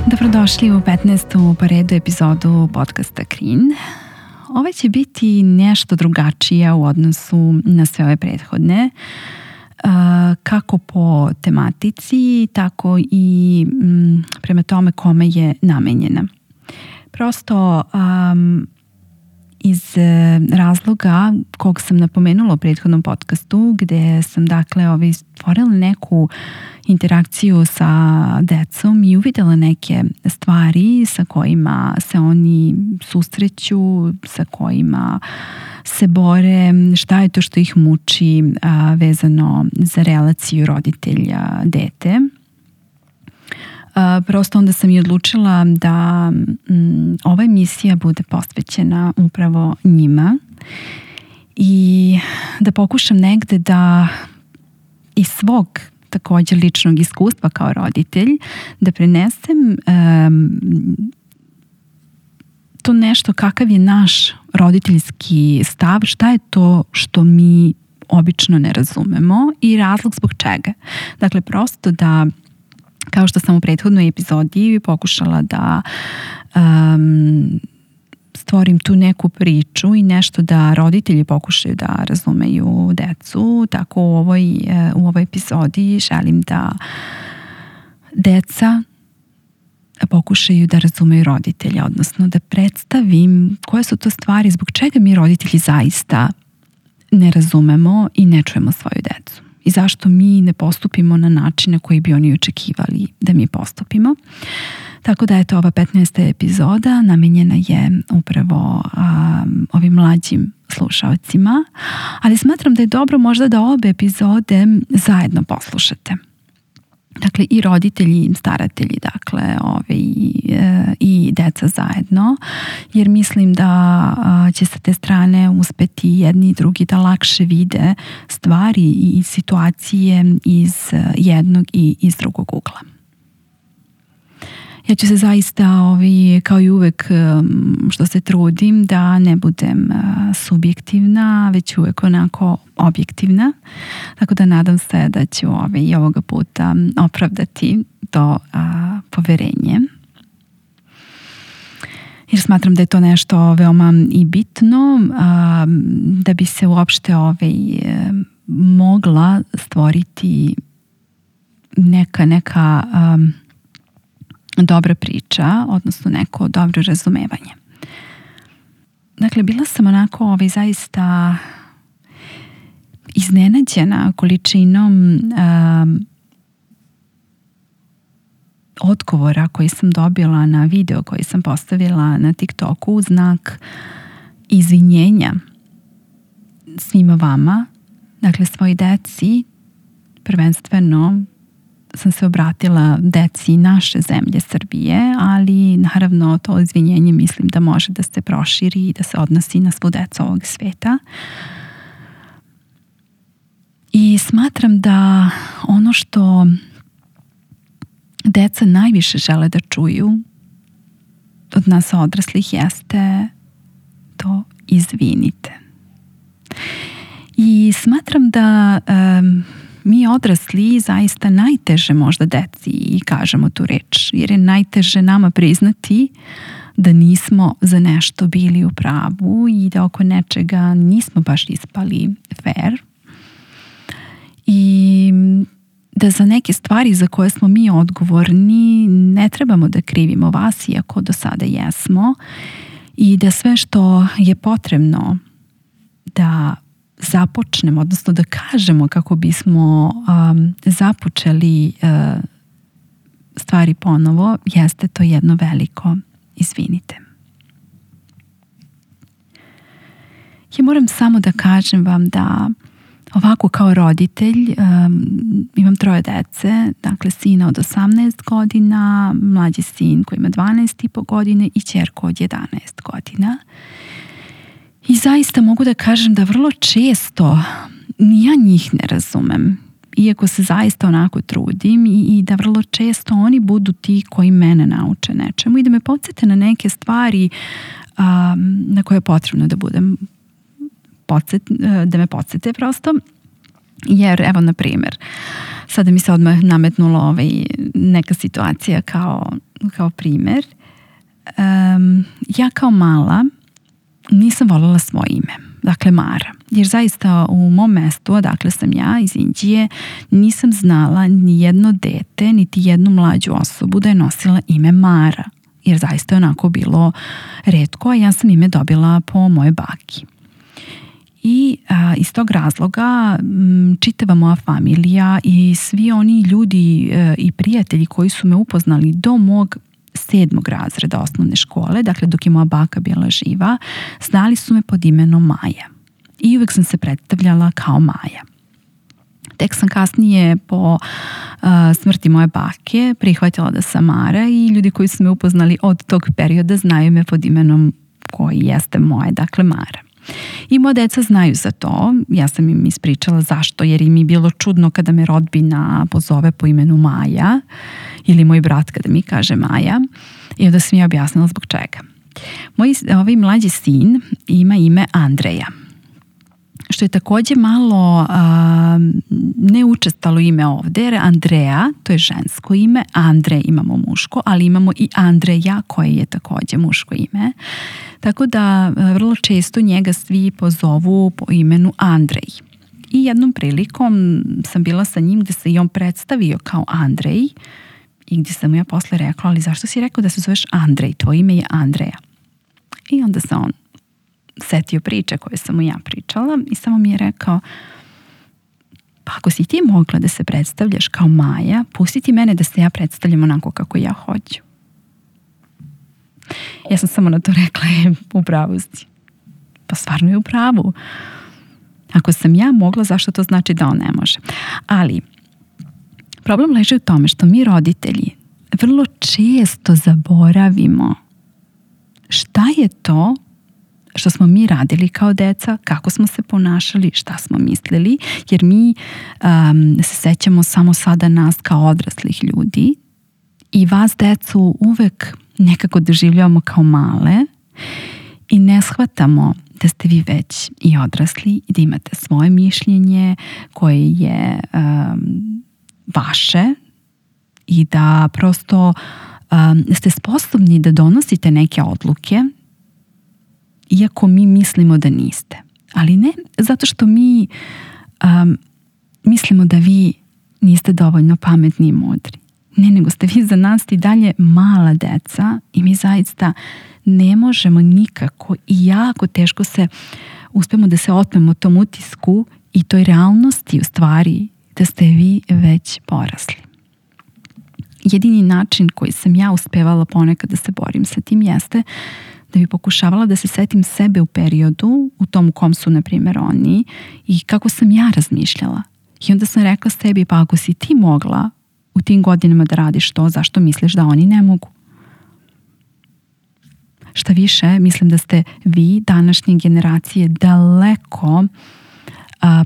Dobrodošli u 15. po redu epizodu podcasta Krin. Ova će biti nešto drugačija u odnosu na sve ove prethodne, kako po tematici, tako i prema tome kome je namenjena. Prosto iz razloga kog sam napomenula u prethodnom podcastu, gde sam stvorila neku interakciju sa decom i uvidela neke stvari sa kojima se oni susreću, sa kojima se bore, šta je to što ih muči vezano za relaciju roditelja-dete. Prosto onda sam i odlučila da ova emisija bude posvećena upravo njima i da pokušam negde da iz svog također ličnog iskustva kao roditelj da prenesem to nešto kakav je naš roditeljski stav, šta je to što mi obično ne razumemo i razlog zbog čega. Dakle, prosto da, kao što sam u prethodnoj epizodi pokušala da stvorim tu neku priču i nešto da roditelji pokušaju da razumeju decu, tako u ovoj epizodi želim da deca pokušaju da razumeju roditelja, odnosno da predstavim koje su to stvari zbog čega mi roditelji zaista ne razumemo i ne čujemo svoju decu. I zašto mi ne postupimo na način na koji bi oni očekivali da mi postupimo. Tako da ova 15. epizoda namenjena je upravo ovim mlađim slušalcima, ali smatram da je dobro možda da obe epizode zajedno poslušate. Dakle, i roditelji i staratelji, i deca zajedno, jer mislim da će sa te strane uspeti jedni i drugi da lakše vide stvari i situacije iz jednog i iz drugog ugla. Ja ću se zaista, kao i uvek što se trudim, da ne budem subjektivna, već uvek onako objektivna. Tako da nadam se da ću i ovoga puta opravdati to poverenje. Jer smatram da je to nešto veoma i bitno da bi se uopšte mogla stvoriti neka dobra priča, odnosno neko dobro razumevanje. Dakle, bila sam onako zaista iznenađena količinom odgovora koji sam dobila na video koji sam postavila na TikToku u znak izvinjenja svima vama, dakle svoj deci, prvenstveno sam se obratila deci naše zemlje Srbije, ali naravno to izvinjenje mislim da može da se proširi i da se odnosi na svu decu ovog sveta. I smatram da ono što deca najviše žele da čuju od nas odraslih jeste to izvinite. I smatram da mi odrasli zaista najteže možda deci i kažemo tu reč, jer je najteže nama priznati da nismo za nešto bili u pravu i da oko nečega nismo baš ispali fair i da za neke stvari za koje smo mi odgovorni ne trebamo da krivimo vas, iako do sada jesmo, i da sve što je potrebno da započnemo, odnosno da kažemo kako bismo započeli stvari ponovo, jeste to jedno veliko izvinite. Ja moram samo da kažem vam da ovako kao roditelj imam 3 dece, dakle sina od 18 godina, mlađi sin koji ima 12,5 godine i ćerku od 11 godina. I zaista mogu da kažem da vrlo često ja njih ne razumem, iako se zaista onako trudim i da vrlo često oni budu ti koji mene nauče nečemu i da me podsjete na neke stvari na koje je potrebno da budem da me podsjete prosto. Jer evo na primjer sada mi se odmah nametnulo neka situacija kao kao primer, ja kao mala nisam voljela svoje ime, dakle Mara. Jer zaista u mom mestu, odakle sam ja, iz Indije, nisam znala ni jedno dete, niti jednu mlađu osobu da je nosila ime Mara. Jer zaista je onako bilo retko, a ja sam ime dobila po moje baki. I iz tog razloga čitava moja familija i svi oni ljudi i prijatelji koji su me upoznali do mog 7. razreda osnovne škole, dakle dok je moja baka bila živa, znali su me pod imenom Maja. I uvek sam se predstavljala kao Maja. Tek sam kasnije po smrti moje bake prihvatila da sam Mara i ljudi koji su me upoznali od tog perioda znaju me pod imenom koji jeste moje, dakle Mara. I moja deca znaju za to. Ja sam im ispričala zašto, jer im je bilo čudno kada me rodbina pozove po imenu Maja ili moj brat kada mi kaže Maja, i onda sam ja objasnila zbog čega. Moj mlađi sin ima ime Andreja, što je takođe malo neučestalo ime ovde, jer Andreja, to je žensko ime, Andre imamo muško, ali imamo i Andreja koje je takođe muško ime. Tako da vrlo često njega svi pozovu po imenu Andrej. I jednom prilikom sam bila sa njim gde se i on predstavio kao Andrej i gde sam mu ja posle rekla, ali zašto si rekao da se zoveš Andrej, tvoje ime je Andreja? I onda se on setio priče koje sam mu ja pričala i samo mi je rekao, pa ako si ti mogla da se predstavljaš kao Maja, pusti ti mene da se ja predstavljam onako kako ja hoću. Ja sam samo na to rekla, u pravu si. Pa stvarno je u pravu. Ako sam ja mogla, zašto to znači da on ne može? Ali problem leži u tome što mi roditelji vrlo često zaboravimo šta je to što smo mi radili kao deca, kako smo se ponašali, šta smo mislili, jer mi se sećamo samo sada nas kao odraslih ljudi i vas decu uvek nekako doživljavamo kao male i ne shvatamo da ste vi već i odrasli i da imate svoje mišljenje koje je vaše i da prosto ste sposobni da donosite neke odluke iako mi mislimo da niste. Ali ne zato što mi mislimo da vi niste dovoljno pametni i mudri. Ne, nego ste vi za nas i dalje mala deca i mi zaista ne možemo nikako i jako teško se uspemo da se otmemo tom utisku i toj realnosti u stvari da ste vi već porasli. Jedini način koji sam ja uspevala ponekad da se borim sa tim jeste da bi pokušavala da se setim sebe u periodu u tom u kom su, na primjer, oni i kako sam ja razmišljala. I onda sam rekla sebi, pa ako si ti mogla u tim godinama da radiš to, zašto misliš da oni ne mogu? Šta više, mislim da ste vi, današnje generacije, daleko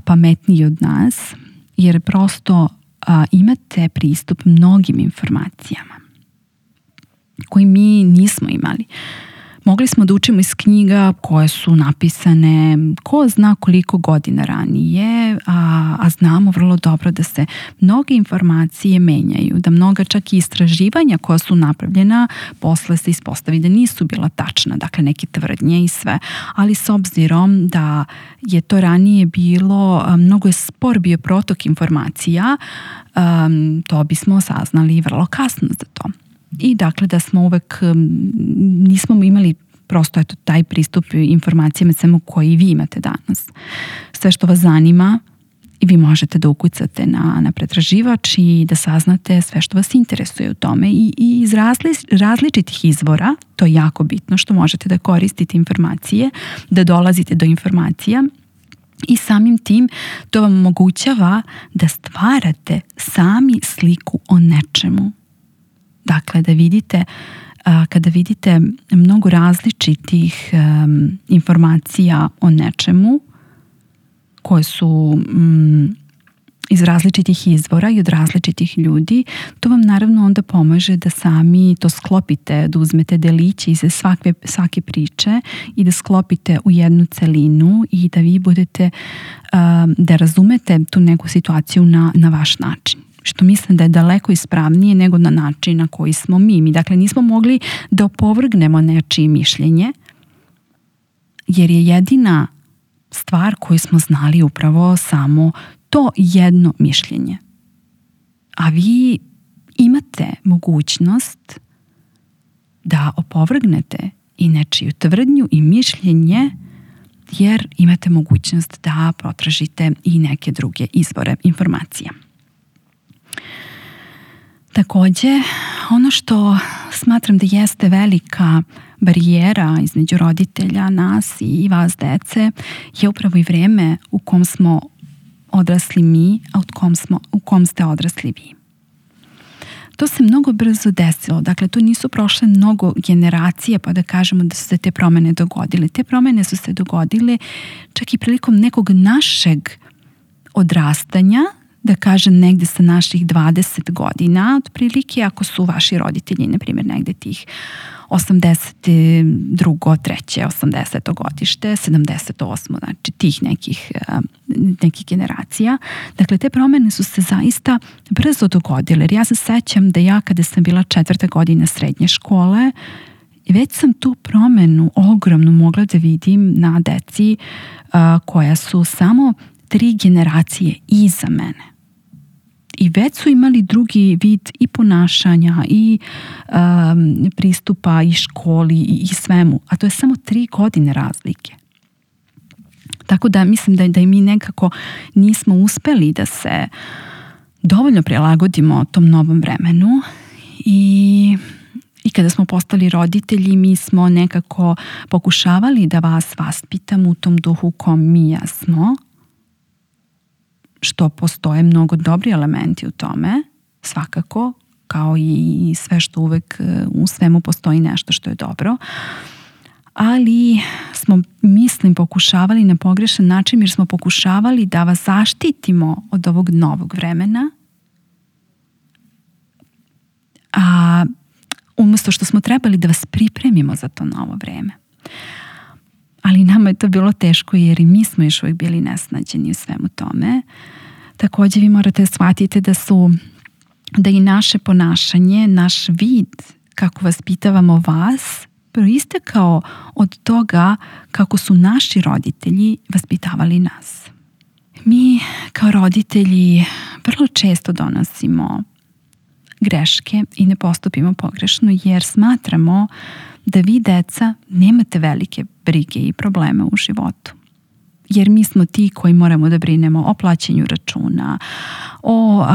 pametniji od nas, jer prosto imate pristup mnogim informacijama koji mi nismo imali. Mogli smo da učimo iz knjiga koje su napisane ko zna koliko godina ranije, a znamo vrlo dobro da se mnoge informacije menjaju, da mnoga čak i istraživanja koja su napravljena posle se ispostavi da nisu bila tačna, dakle neke tvrdnje i sve, ali s obzirom da je to ranije bilo, mnogo je spor bio protok informacija, to bismo saznali vrlo kasno za to. I dakle da smo uvek, nismo imali prosto taj pristup informacijama samo koji vi imate danas. Sve što vas zanima i vi možete da ukucate na pretraživač i da saznate sve što vas interesuje u tome i iz različitih izvora, to je jako bitno što možete da koristite informacije, da dolazite do informacija i samim tim to vam omogućava da stvarate sami sliku o nečemu. Dakle, da vidite, kada vidite mnogo različitih informacija o nečemu koje su iz različitih izvora i od različitih ljudi, to vam naravno onda pomaže da sami to sklopite, da uzmete deliće iz svake priče i da sklopite u jednu celinu i da vi budete, da razumete tu neku situaciju na vaš način. što mislim da je daleko ispravnije nego na način na koji smo mi. Mi dakle nismo mogli da opovrgnemo nečije mišljenje, jer je jedina stvar koju smo znali upravo samo to jedno mišljenje. A vi imate mogućnost da opovrgnete i nečiju tvrdnju i mišljenje, jer imate mogućnost da potražite i neke druge izvore informacija. Takođe, ono što smatram da jeste velika barijera između roditelja, nas i vas dece, je upravo i vreme u kom smo odrasli mi, a u kom ste odrasli vi. To se mnogo brzo desilo, dakle tu nisu prošle mnogo generacije pa da kažemo da su se te promene dogodile. Te promene su se dogodile čak i prilikom nekog našeg odrastanja, da kažem negde sa naših 20 godina, otprilike ako su vaši roditelji, na primjer negde tih 82. 3. 80. godište, 78. znači tih nekih generacija. Dakle, te promene su se zaista brzo dogodile. Jer ja se sećam da ja kada sam bila 4. godina srednje škole, već sam tu promenu ogromnu mogla da vidim na deci koja su samo 3 generacije iza mene. I već su imali drugi vid i ponašanja i pristupa i školi i svemu. A to je samo 3 godine razlike. Tako da mislim da i mi nekako nismo uspeli da se dovoljno prilagodimo tom novom vremenu i kada smo postali roditelji mi smo nekako pokušavali da vas vaspitamo u tom duhu kom mi jesmo, što postoje mnogo dobri elementi u tome, svakako, kao i sve što uvek u svemu postoji nešto što je dobro, ali smo, mislim, pokušavali na pogrešan način jer smo pokušavali da vas zaštitimo od ovog novog vremena, a umesto što smo trebali da vas pripremimo za to novo vreme. Ali nama je to bilo teško jer i mi smo još uvijek bili nesnađeni u svemu tome. Također vi morate shvatiti da i naše ponašanje, naš vid kako vaspitavamo vas proistekao od toga kako su naši roditelji vaspitavali nas. Mi kao roditelji vrlo često donosimo greške i ne postupimo pogrešno jer smatramo da vi, deca, nemate velike brige i probleme u životu. Jer mi smo ti koji moramo da brinemo o plaćanju računa, o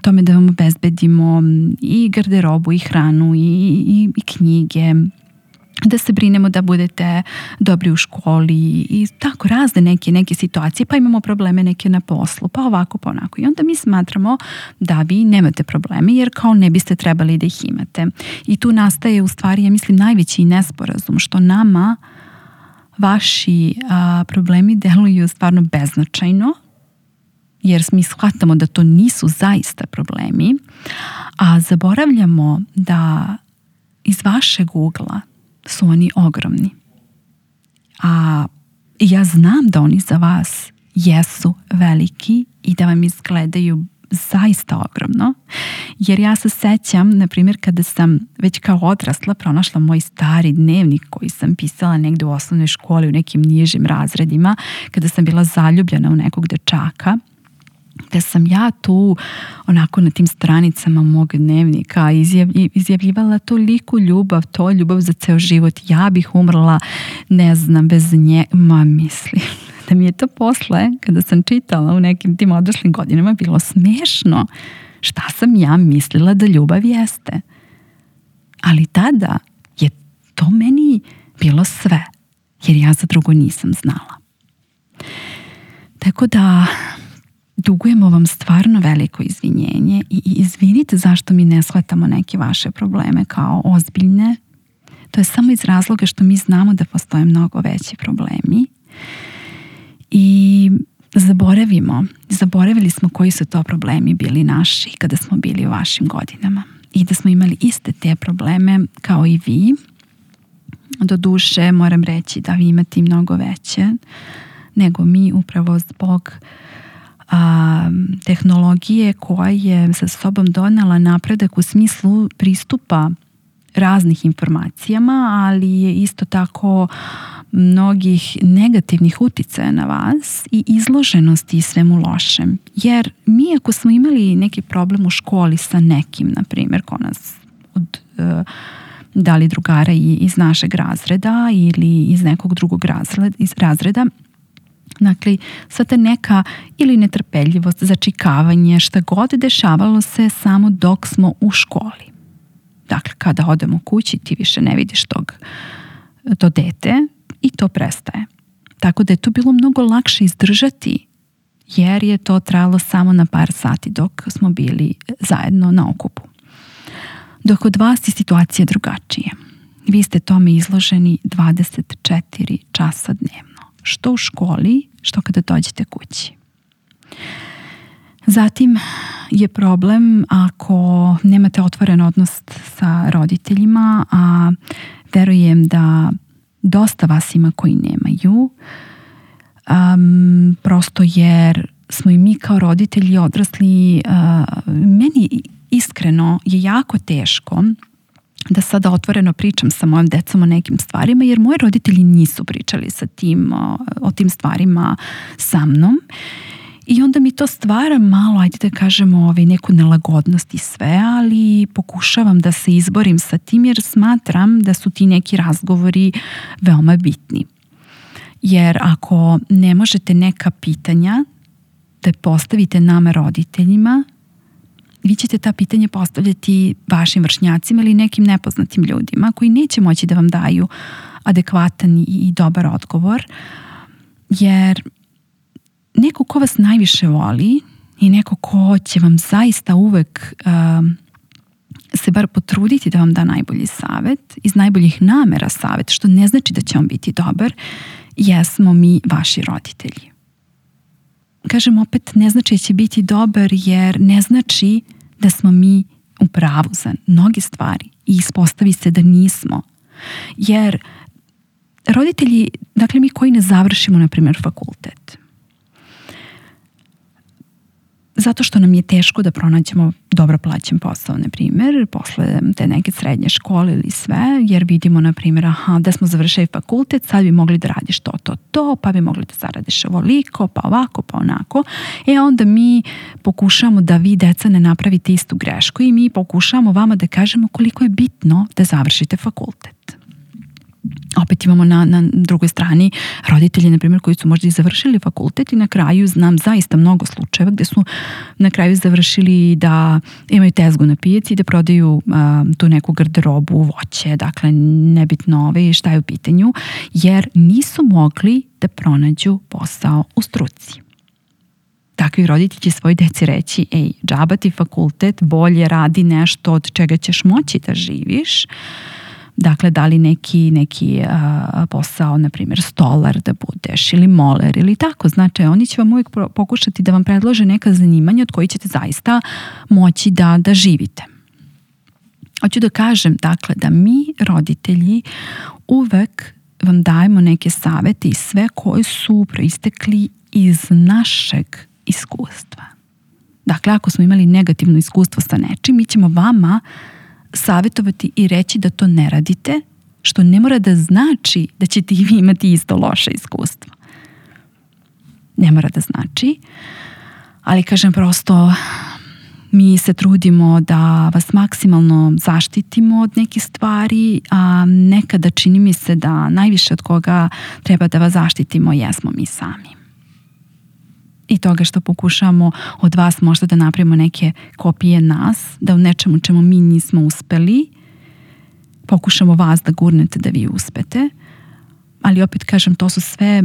tome da vam obezbedimo i garderobu i hranu i knjige, da se brinemo da budete dobri u školi i tako razne neke situacije, pa imamo probleme neke na poslu, pa ovako, pa onako. I onda mi smatramo da vi nemate probleme jer kao ne biste trebali da ih imate. I tu nastaje u stvari, ja mislim, najveći nesporazum, što nama vaši problemi deluju stvarno beznačajno, jer mi shvatamo da to nisu zaista problemi, a zaboravljamo da iz vašeg ugla su oni ogromni. A ja znam da oni za vas jesu veliki i da vam izgledaju zaista ogromno, jer ja se sećam, na primjer, kada sam već kao odrasla pronašla moj stari dnevnik koji sam pisala negde u osnovnoj školi u nekim nižim razredima, kada sam bila zaljubljena u nekog dečaka, da sam ja tu onako na tim stranicama mog dnevnika izjavljivala toliku ljubav, to ljubav za ceo život, ja bih umrla, ne znam, bez nje, mislim da mi je to posle, kada sam čitala u nekim tim odraslim godinama, bilo smešno. Šta sam ja mislila da ljubav jeste? Ali tada je to meni bilo sve, jer ja za drugo nisam znala. Tako da dugujemo vam stvarno veliko izvinjenje i izvinite zašto mi ne shvatamo neke vaše probleme kao ozbiljne. To je samo iz razloga što mi znamo da postoje mnogo veći problemi i zaboravili smo koji su to problemi bili naši kada smo bili u vašim godinama i da smo imali iste te probleme kao i vi. Doduše, moram reći da vi imate i mnogo veće nego mi, upravo zbog tehnologije koja je sa sobom donela napredak u smislu pristupa raznih informacijama, ali je isto tako mnogih negativnih uticaja na vas i izloženosti svemu lošem. Jer mi ako smo imali neki problem u školi sa nekim, na primjer, ko nas da li drugara iz našeg razreda ili iz nekog drugog razreda, dakle, sva ta neka ili netrpeljivost, začikavanje, šta god dešavalo se samo dok smo u školi. Dakle, kada odemo kući, ti više ne vidiš to dete i to prestaje. Tako da je to bilo mnogo lakše izdržati, jer je to trajalo samo na par sati dok smo bili zajedno na okupu. Dok kod vas je situacija drugačije. Vi ste tome izloženi 24 časa dnevno. Što u školi, što kada dođete kući. Zatim je problem ako nemate otvoren odnos sa roditeljima, a verujem da dosta vas ima koji nemaju, prosto jer smo i mi kao roditelji odrasli. Meni iskreno je jako teško da sada otvoreno pričam sa mojom decom o nekim stvarima, jer moji roditelji nisu pričali o tim stvarima sa mnom. I onda mi to stvara malo, ajde da kažemo, neku nelagodnost i sve, ali pokušavam da se izborim sa tim, jer smatram da su ti neki razgovori veoma bitni. Jer ako ne možete neka pitanja da postavite nama roditeljima, vi ćete ta pitanja postavljati vašim vršnjacima ili nekim nepoznatim ljudima koji neće moći da vam daju adekvatan i dobar odgovor, jer neko ko vas najviše voli i neko ko će vam zaista uvek se bar potruditi da vam da najbolji savjet, iz najboljih namera savjet, što ne znači da će on biti dobar, jesmo mi vaši roditelji. Kažem opet, ne znači da će biti dobar, jer ne znači da smo mi u pravu za mnoge stvari i ispostavi se da nismo. Jer roditelji, dakle mi koji ne završimo, na primjer, fakultet, zato što nam je teško da pronađemo dobro plaćen posao, na primjer, posle te neke srednje škole ili sve, jer vidimo, na primjer, da smo završili fakultet, sad bi mogli da radiš to, pa bi mogli da zaradiš ovoliko, pa ovako, pa onako. Onda mi pokušamo da vi, deca, ne napravite istu grešku i mi pokušamo vama da kažemo koliko je bitno da završite fakultet. Opet imamo na drugoj strani roditelji, na primjer, koji su možda i završili fakultet i na kraju znam zaista mnogo slučajeva gde su na kraju završili da imaju tezgu na pijaci i da prodaju tu neku garderobu, voće, dakle nebitno šta je u pitanju, jer nisu mogli da pronađu posao u struci. Takvi roditelji će svoj deci reći, džaba ti fakultet, bolje radi nešto od čega ćeš moći da živiš. Dakle, da li neki posao, na primjer stolar da budeš ili moler ili tako. Znači, oni će vam uvijek pokušati da vam predlože neka zanimanja od kojih ćete zaista moći da živite. Hoću da kažem, dakle, da mi roditelji uvek vam dajemo neke savete i sve koji su proistekli iz našeg iskustva. Dakle, ako smo imali negativno iskustvo sa nečim, mi ćemo vama savjetovati i reći da to ne radite, što ne mora da znači da ćete i vi imati isto loše iskustvo. Ne mora da znači, ali kažem prosto, mi se trudimo da vas maksimalno zaštitimo od nekih stvari, a nekada čini mi se da najviše od koga treba da vas zaštitimo jesmo mi sami. I toga što pokušamo od vas možda da napravimo neke kopije nas, da u nečemu čemu mi nismo uspeli, pokušamo vas da gurnete da vi uspete, ali opet kažem, to su sve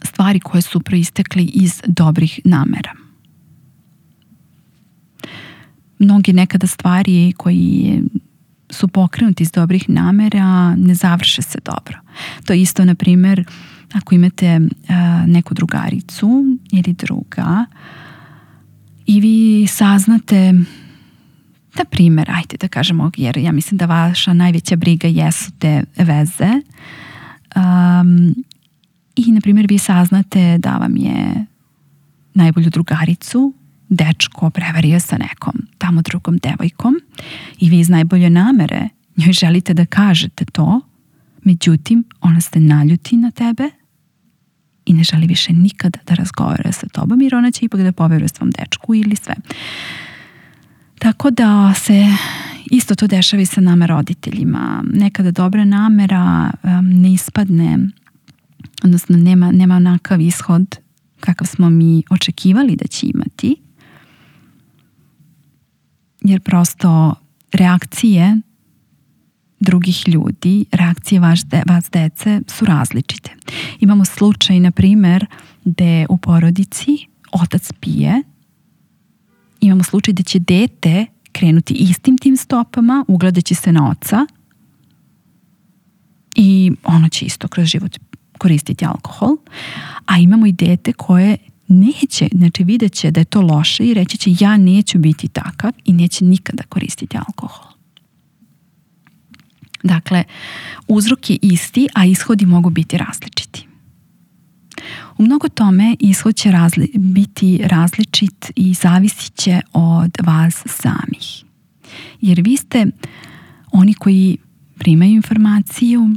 stvari koje su proistekli iz dobrih namera. Mnogi nekada stvari koji su pokrenuti iz dobrih namera ne završe se dobro. To je isto, na primjer, ako imate neku drugaricu ili druga i vi saznate, na primjer, ajde da kažemo, jer ja mislim da vaša najveća briga jesu te veze, i na primjer vi saznate da vam je najbolju drugaricu dečko prevario sa nekom tamo drugom devojkom i vi iz najbolje namere njoj želite da kažete to, međutim ona se naljuti na tebe i ne želi više nikada da razgovara sa tobom jer ona će ipak da poveruje svom dečku ili sve. Tako da se isto to dešava i sa nama roditeljima. Nekada dobra namera ne ispadne, odnosno nema onakav ishod kakav smo mi očekivali da će imati, jer prosto reakcije drugih ljudi, reakcije vas dece su različite. Imamo slučaj, na primjer, gde u porodici otac pije. Imamo slučaj da će dete krenuti istim tim stopama, ugledaće se na oca i ono će isto kroz život koristiti alkohol. A imamo i dete koje neće, znači vidjet će da je to loše i reći će ja neću biti takav i neće nikada koristiti alkohol. Dakle, uzrok je isti, a ishodi mogu biti različiti. U mnogo tome ishod će biti različit i zavisit će od vas samih. Jer vi ste oni koji primaju informaciju,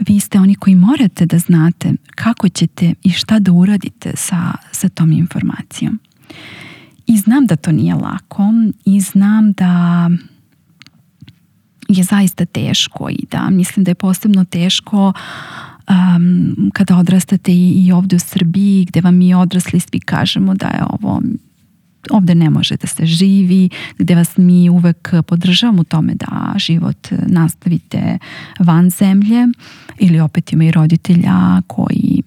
vi ste oni koji morate da znate kako ćete i šta da uradite sa tom informacijom. I znam da to nije lako i znam da je zaista teško i da mislim da je posebno teško kada odrastate i ovdje u Srbiji gdje vam mi odrasli svi kažemo da je ovdje ne može da se živi, gdje vas mi uvek podržavamo u tome da život nastavite van zemlje ili opet ima i roditelja koji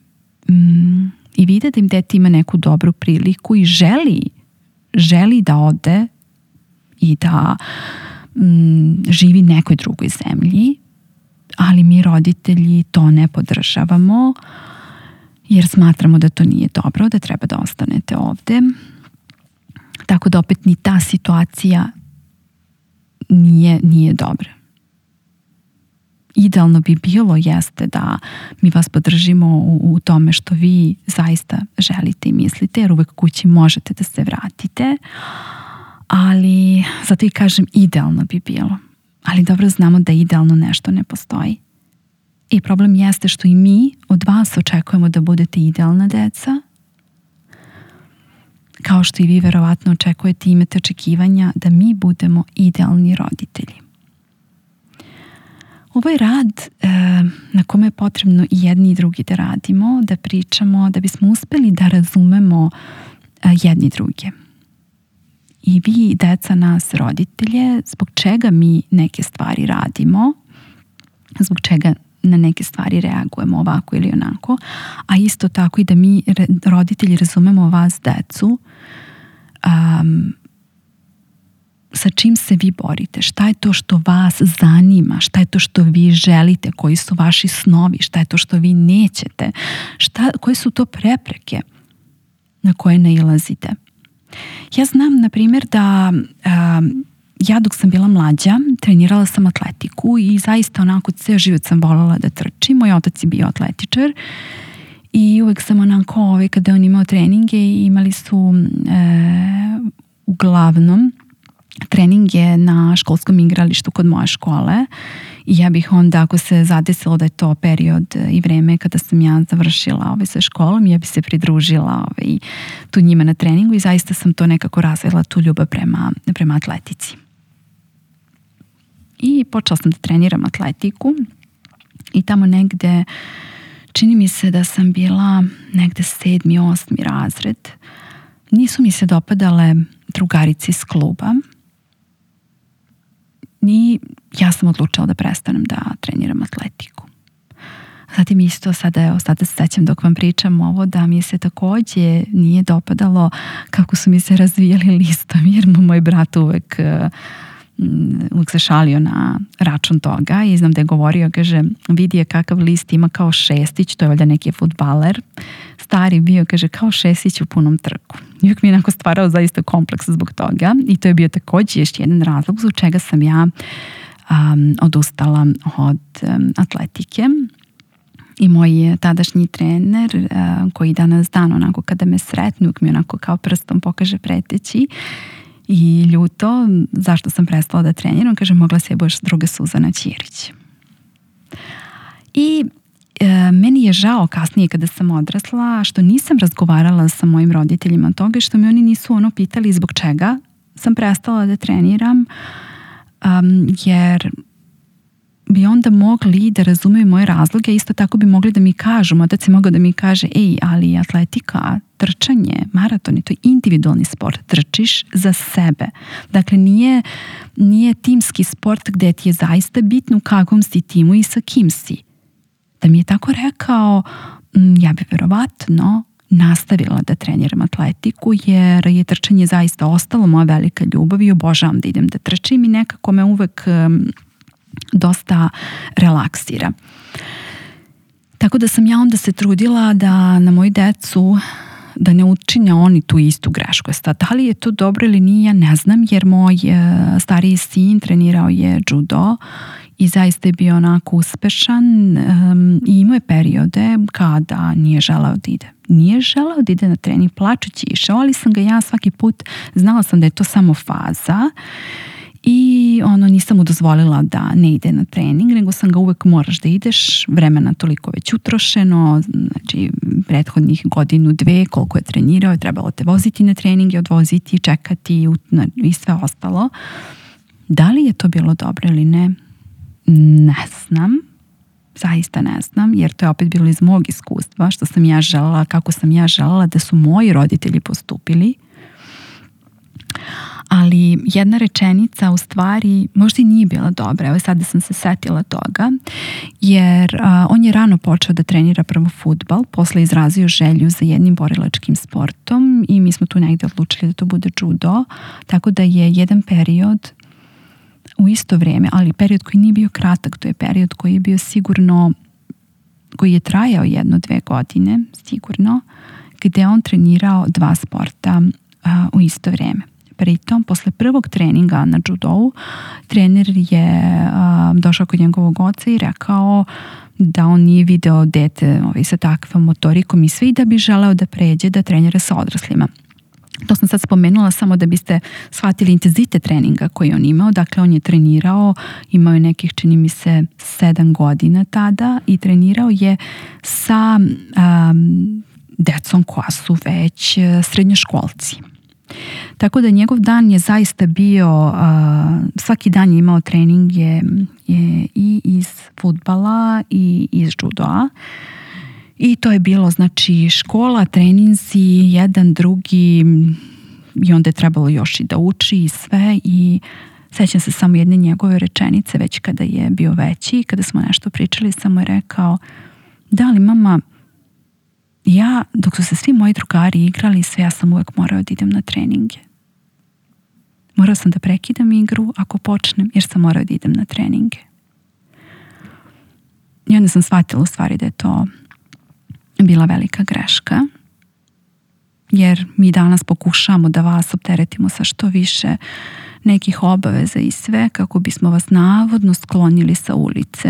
i vide da im dete ima neku dobru priliku i želi da ode i da živi nekoj drugoj zemlji, ali mi roditelji to ne podržavamo jer smatramo da to nije dobro, da treba da ostanete ovde. Tako da opet ni ta situacija nije dobra. Idealno bi bilo jeste da mi vas podržimo u tome što vi zaista želite i mislite, jer uvek kući možete da se vratite, ali zato i kažem idealno bi bilo. Ali dobro znamo da idealno nešto ne postoji. I problem jeste što i mi od vas očekujemo da budete idealna deca, kao što i vi verovatno očekujete i imate očekivanja da mi budemo idealni roditelji. Ovo je rad na kome je potrebno i jedni i drugi da radimo, da pričamo, da bismo uspeli da razumemo jedni druge. I vi, deca, nas, roditelje, zbog čega mi neke stvari radimo, zbog čega na neke stvari reagujemo ovako ili onako, a isto tako i da mi, roditelji, razumemo vas, decu, sa čim se vi borite, šta je to što vas zanima, šta je to što vi želite, koji su vaši snovi, šta je to što vi nećete, koje su to prepreke na koje nailazite. Ja znam, na primjer, da ja dok sam bila mlađa trenirala sam atletiku i zaista onako ceo život sam voljela da trčim. Moj otac je bio atletičar i uvek sam onako, kada on imao treninge, imali su uglavnom treninge na školskom igralištu kod moje škole i ja bih onda, ako se zadesilo da je to period i vreme kada sam ja završila sa školom, ja bih se pridružila tu njima na treningu i zaista sam to nekako razvila, tu ljubav prema atletici. I počela sam da treniram atletiku i tamo negde, čini mi se da sam bila negde 7. 8. razred, nisu mi se dopadale drugarice iz kluba i ja sam odlučila da prestanem da treniram atletiku. Zatim isto sada se sećam dok vam pričam ovo da mi se takođe nije dopadalo kako su mi se razvijali listovi, jer moj brat uvek se šalio na račun toga i znam da je govorio, kaže, vidi je kakav list ima kao šestić, to je valjda neki fudbaler, stari bio, kaže, kao šestić u punom trku. I uvijek mi je onako stvarao zaista kompleks zbog toga i to je bio također još jedan razlog zbog čega sam ja odustala od atletike. I moj tadašnji trener koji danas dan onako kada me sretne uvijek mi onako kao prstom pokaže preteći i ljuto zašto sam prestala da treniram, kaže mogla si je budeš druga Suzana Ćirić. I meni je žao kasnije kada sam odrasla što nisam razgovarala sa mojim roditeljima od toga i što me oni nisu pitali zbog čega sam prestala da treniram, jer bi onda mogli da razumeju moje razloge, isto tako bi mogli da mi kažu, otac je mogao da mi kaže, ali atletika, trčanje, maraton, to je individualni sport, trčiš za sebe. Dakle, nije timski sport gde ti je zaista bitno u kakvom si timu i sa kim si. Da mi je tako rekao, ja bi verovatno nastavila da treniram atletiku, jer je trčanje zaista ostalo moja velika ljubav i obožavam da idem da trčim i nekako me uvek dosta relaksira. Tako da sam ja onda se trudila da na moju decu da ne učine oni tu istu grešku. Da li je to dobro ili nije, ja ne znam, jer moj stariji sin trenirao je judo i zaista je bio onako uspešan i imao je periode kada nije želeo da ide. Nije želeo da ide na trening, plačući išao, ali sam ga ja svaki put, znala sam da je to samo faza i nisam mu dozvolila da ne ide na trening, nego sam ga uvek moraš da ideš, vremena toliko već utrošeno, znači prethodnih godinu, dve, koliko je trenirao, je trebalo te voziti na trening, odvoziti, čekati i sve ostalo. Da li je to bilo dobro ili ne? Ne znam. Zaista ne znam, jer to je opet bilo iz mog iskustva, što sam ja želela, kako sam ja želela da su moji roditelji postupili. Ali jedna rečenica u stvari možda i nije bila dobra. Evo sada sam se setila toga, jer on je rano počeo da trenira prvo fudbal, posle izrazio želju za jednim borilačkim sportom i mi smo tu negde odlučili da to bude judo, tako da je jedan period u isto vrijeme, ali period koji nije bio kratak, to je period koji je bio sigurno, koji je trajao 1-2 godine, sigurno, gde on trenirao 2 sporta u isto vrijeme. Pritom, posle prvog treninga na judou, trener je došao kod njegovog oca i rekao da on nije video dete sa takvom motorikom i sve i da bi želeo da pređe da trenira sa odraslima. To sam sad spomenula samo da biste shvatili intenzitet treninga koji on imao. Dakle, on je trenirao, imao je nekih, čini mi se, 7 godina tada i trenirao je sa decom koja su već srednjoškolci. Tako da njegov dan je zaista bio, svaki dan je imao treninge i iz fudbala i iz judoa. I to je bilo, znači, škola, treninzi, jedan, drugi, i onda je trebalo još i da uči i sve. I sećam se samo jedne njegove rečenice, već kada je bio veći, kada smo nešto pričali, samo je rekao, da li mama, ja, dok su se svi moji drugari igrali, sve, ja sam uvek morao da idem na treninge. Morao sam da prekidam igru ako počnem, jer sam morao da idem na treninge. I onda sam shvatila u stvari da je to bila velika greška, jer mi danas pokušamo da vas opteretimo sa što više nekih obaveza i sve kako bismo vas navodno sklonili sa ulice,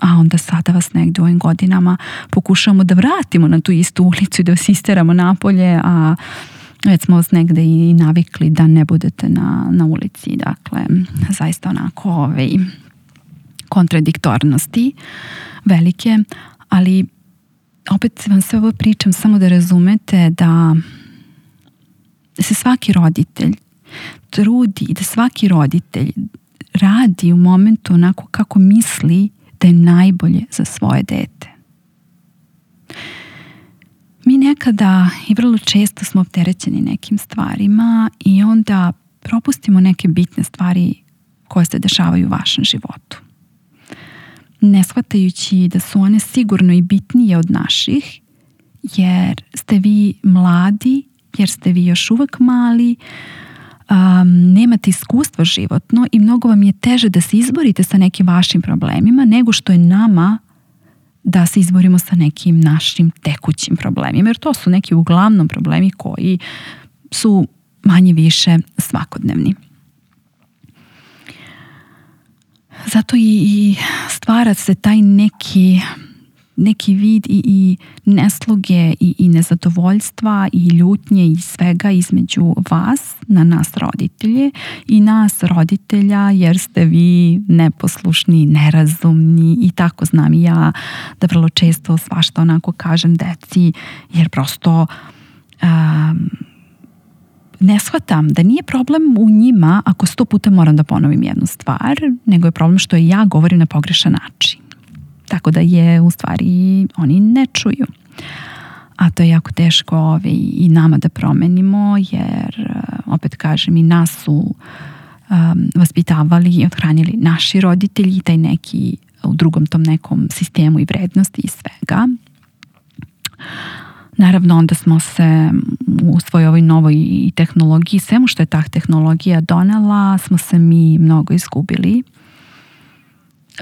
a onda sada vas negdje u ovim godinama pokušamo da vratimo na tu istu ulicu i da vas isteramo napolje, a već smo vas negdje i navikli da ne budete na ulici. Dakle, zaista onako kontradiktornosti velike, ali opet vam sve ovo pričam samo da razumete da se svaki roditelj trudi i da svaki roditelj radi u momentu onako kako misli da je najbolje za svoje dete. Mi nekada i vrlo često smo opterećeni nekim stvarima i onda propustimo neke bitne stvari koje se dešavaju u vašem životu. Ne shvatajući da su one sigurno i bitnije od naših, jer ste vi mladi, jer ste vi još uvek mali, nemate iskustvo životno i mnogo vam je teže da se izborite sa nekim vašim problemima nego što je nama da se izborimo sa nekim našim tekućim problemima, jer to su neki uglavnom problemi koji su manje više svakodnevni. zato i stvara se taj neki vid i nesloge i nezadovoljstva i ljutnje i svega između vas, na nas roditelje i nas roditelja, jer ste vi neposlušni, nerazumni i tako znam i ja da vrlo često svašta onako kažem deci, jer prosto ne shvatam da nije problem u njima ako 100 puta moram da ponovim jednu stvar, nego je problem što ja govorim na pogrešan način. Tako da je u stvari oni ne čuju. A to je jako teško i nama da promenimo, jer opet kažem i nas su vaspitavali i othranili naši roditelji, taj neki u drugom tom nekom sistemu i vrednosti i svega. Naravno, onda smo se u svojoj ovoj novoj tehnologiji, svemu što je ta tehnologija donela, smo se mi mnogo izgubili.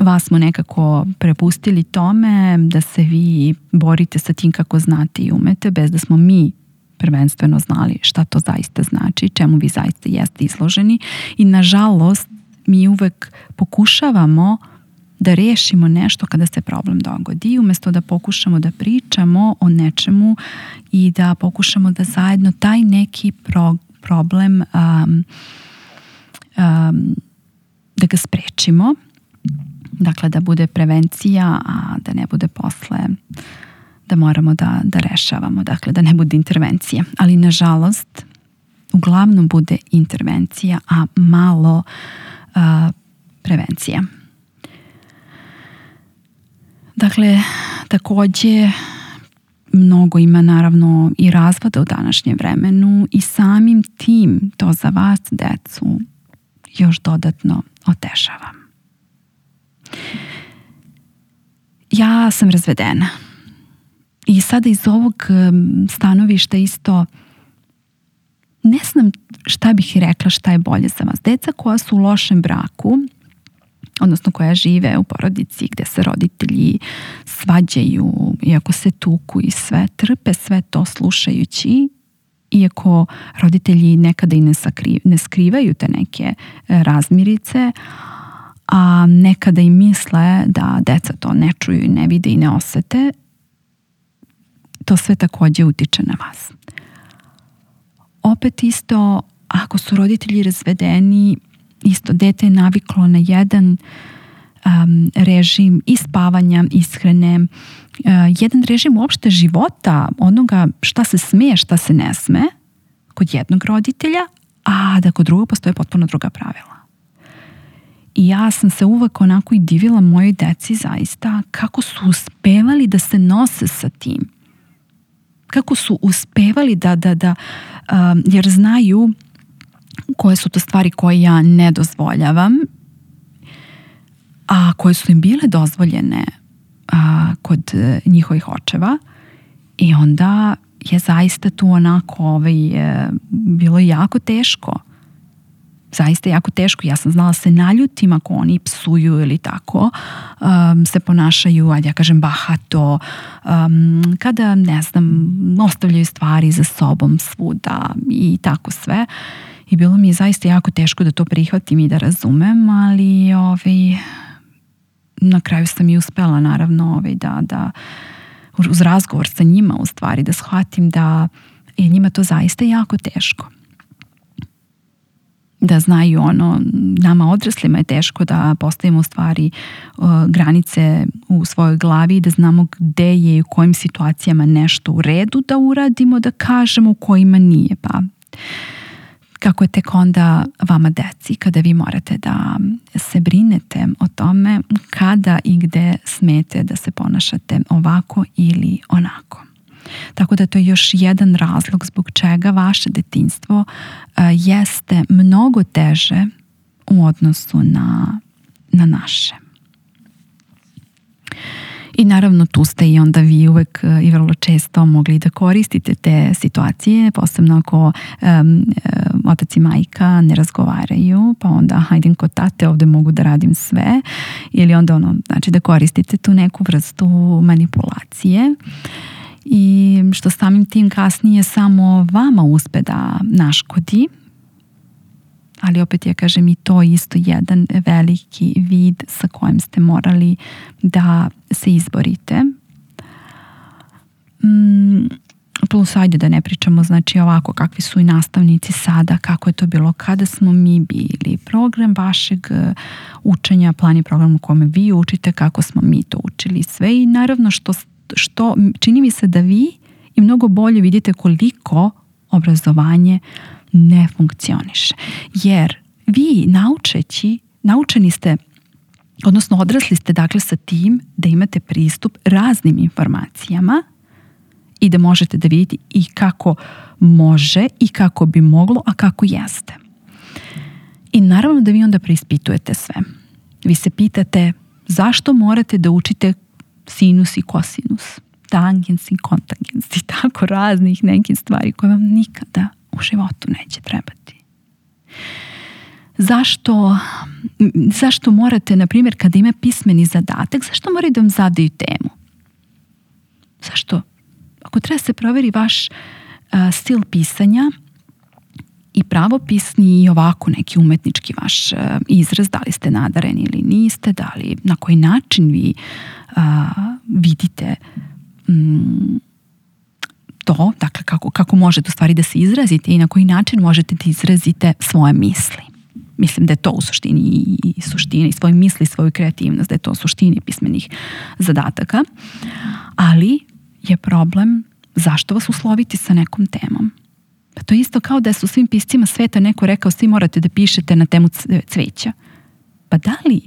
Vas smo nekako prepustili tome da se vi borite sa tim kako znate i umete, bez da smo mi prvenstveno znali šta to zaista znači, čemu vi zaista jeste izloženi. I nažalost, mi uvek pokušavamo da rešimo nešto kada se problem dogodi, umjesto da pokušamo da pričamo o nečemu i da pokušamo da zajedno taj neki problem da ga sprečimo. Dakle, da bude prevencija, a da ne bude posle da moramo da rešavamo. Dakle, da ne bude intervencija. Ali, nažalost, uglavnom bude intervencija, a malo prevencija. Dakle, takođe mnogo ima naravno i razvoda u današnjem vremenu i samim tim to za vas, decu, još dodatno otežava. Ja sam razvedena i sada iz ovog stanovišta isto ne znam šta bih rekla šta je bolje za vas. Deca koja su u lošem braku, odnosno koja žive u porodici gde se roditelji svađaju, iako se tuku i sve, trpe sve to slušajući, iako roditelji nekada i ne skrivaju te neke razmirice, a nekada i misle da deca to ne čuju i ne vide i ne osete, to sve takođe utiče na vas. Opet isto, ako su roditelji razvedeni, isto dete je naviklo na jedan režim i spavanja, ishrane, jedan režim uopšte života, onoga šta se sme, šta se ne sme kod jednog roditelja, a da kod drugog postoje potpuno druga pravila. I ja sam se uvek onako i divila mojoj deci zaista kako su uspevali da se nose sa tim. Kako su uspevali da jer znaju koje su to stvari koje ja ne dozvoljavam, a koje su im bile dozvoljene kod njihovih očeva. I onda je zaista tu onako bilo jako teško. Zaista jako teško. Ja sam znala se naljutim ako oni psuju ili tako se ponašaju, ajde ja kažem bahato, kada ne znam, ostavljaju stvari za sobom svuda i tako sve. I bilo mi je zaista jako teško da to prihvatim i da razumem, ali na kraju sam i uspela naravno da uz razgovor sa njima u stvari da shvatim da je njima to zaista jako teško. Da znaju nama odraslima je teško da postavimo u stvari granice u svojoj glavi, da znamo gde je i u kojim situacijama nešto u redu da uradimo, da kažemo u kojima nije. Pa kako je tek onda vama deci, kada vi morate da se brinete o tome kada i gde smete da se ponašate ovako ili onako. Tako da to je još jedan razlog zbog čega vaše detinjstvo jeste mnogo teže u odnosu na naše. I naravno tu ste i onda vi uvek i vrlo često mogli da koristite te situacije, posebno ako otac i majka ne razgovaraju, pa onda hajdem kod tate, ovde mogu da radim sve, ili onda znači da koristite tu neku vrstu manipulacije. I što samim tim kasnije samo vama uspe da naškodi, ali opet ja kažem i to isto jedan veliki vid sa kojim ste morali da se izborite. Plus, ajde da ne pričamo, znači ovako kakvi su i nastavnici sada, kako je to bilo kada smo mi bili, program vašeg učenja, plan i program u kome vi učite, kako smo mi to učili sve i naravno što čini mi se da vi i mnogo bolje vidite koliko obrazovanje ne funkcioniše. Jer vi naučeni ste, odnosno odrasli ste dakle sa tim da imate pristup raznim informacijama i da možete da vidite i kako može i kako bi moglo, a kako jeste. I naravno da vi onda preispitujete sve. Vi se pitate zašto morate da učite sinus i kosinus, tangens i kontangens i tako raznih nekih stvari koje vam nikada u životu neće trebati. Zašto morate, na primjer, kada ima pismeni zadatak, zašto moraju da vam zadaju temu? Zašto? Ako treba se proveri vaš stil pisanja i pravopisni i ovako neki umetnički vaš izraz, da li ste nadareni ili niste, da li na koji način vi vidite to, dakle kako možete u stvari da se izrazite i na koji način možete da izrazite svoje misli. Mislim da je to u suštini i svoje misli, svoju kreativnost, da je to u suštini pismenih zadataka. Ali je problem zašto vas usloviti sa nekom temom. Pa to je isto kao da su svim piscima sveta neko rekao svi morate da pišete na temu cveća. Pa da li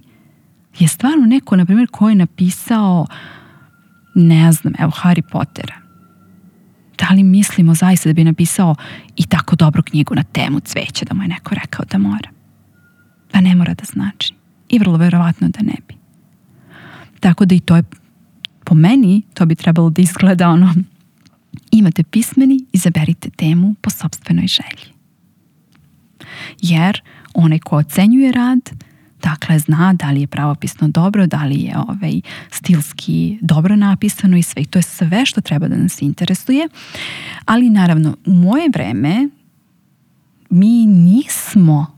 je stvarno neko, na primjer, ko je napisao, ne znam, evo Harry Pottera, da li mislimo zaista da bi napisao i tako dobru knjigu na temu cveća da mu je neko rekao da mora? Pa ne mora da znači. I vrlo verovatno da ne bi. Tako da i to je, po meni, to bi trebalo da izgleda ono, imate pismeni, izaberite temu po sopstvenoj želji. Jer onaj ko ocenjuje rad, dakle zna da li je pravopisno dobro, da li je stilski dobro napisano i sve. I to je sve što treba da nas interesuje. Ali naravno, u moje vreme mi nismo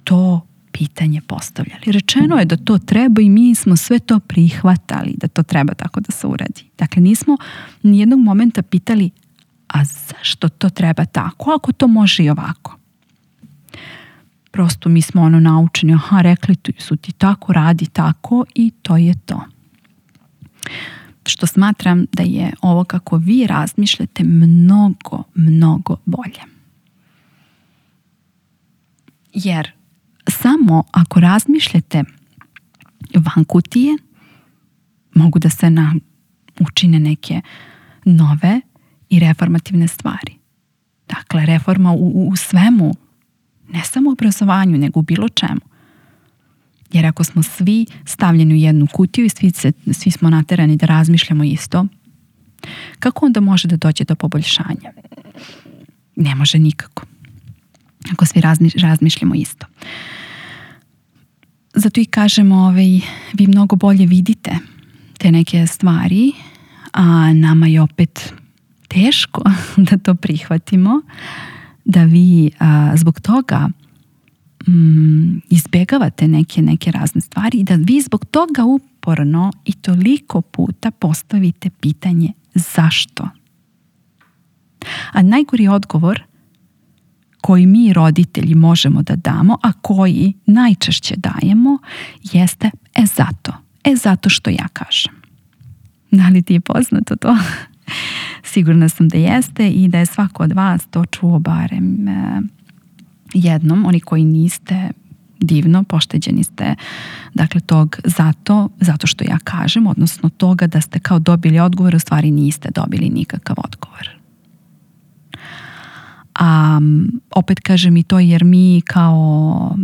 to pitanje postavljali. Rečeno je da to treba i mi smo sve to prihvatali da to treba tako da se uradi. Dakle, nismo nijednog momenta pitali a zašto to treba tako, ako to može i ovako. Prosto mi smo naučeni, rekli su ti tako, radi tako i to je to. Što smatram da je ovo kako vi razmišljate mnogo, mnogo bolje. Jer samo ako razmišljate van kutije, mogu da se učine neke nove i reformativne stvari. Dakle, reforma u svemu, ne samo u obrazovanju, nego u bilo čemu. Jer ako smo svi stavljeni u jednu kutiju i svi smo naterani da razmišljamo isto, kako onda može da dođe do poboljšanja? Ne može nikako. Ako svi razmišljamo isto. Zato i kažemo, vi mnogo bolje vidite te neke stvari, a nama je opet teško da to prihvatimo, da vi zbog toga izbjegavate neke razne stvari i da vi zbog toga uporno i toliko puta postavite pitanje zašto. A najgori odgovor koji mi roditelji možemo da damo, a koji najčešće dajemo, jeste zato što ja kažem. Da li ti je poznato to? Sigurna sam da jeste i da je svako od vas to čuo barem jednom. Oni koji niste, divno, pošteđeni ste dakle tog zato što ja kažem, odnosno toga da ste kao dobili odgovor, u stvari niste dobili nikakav odgovor. A opet kažem i to jer mi kao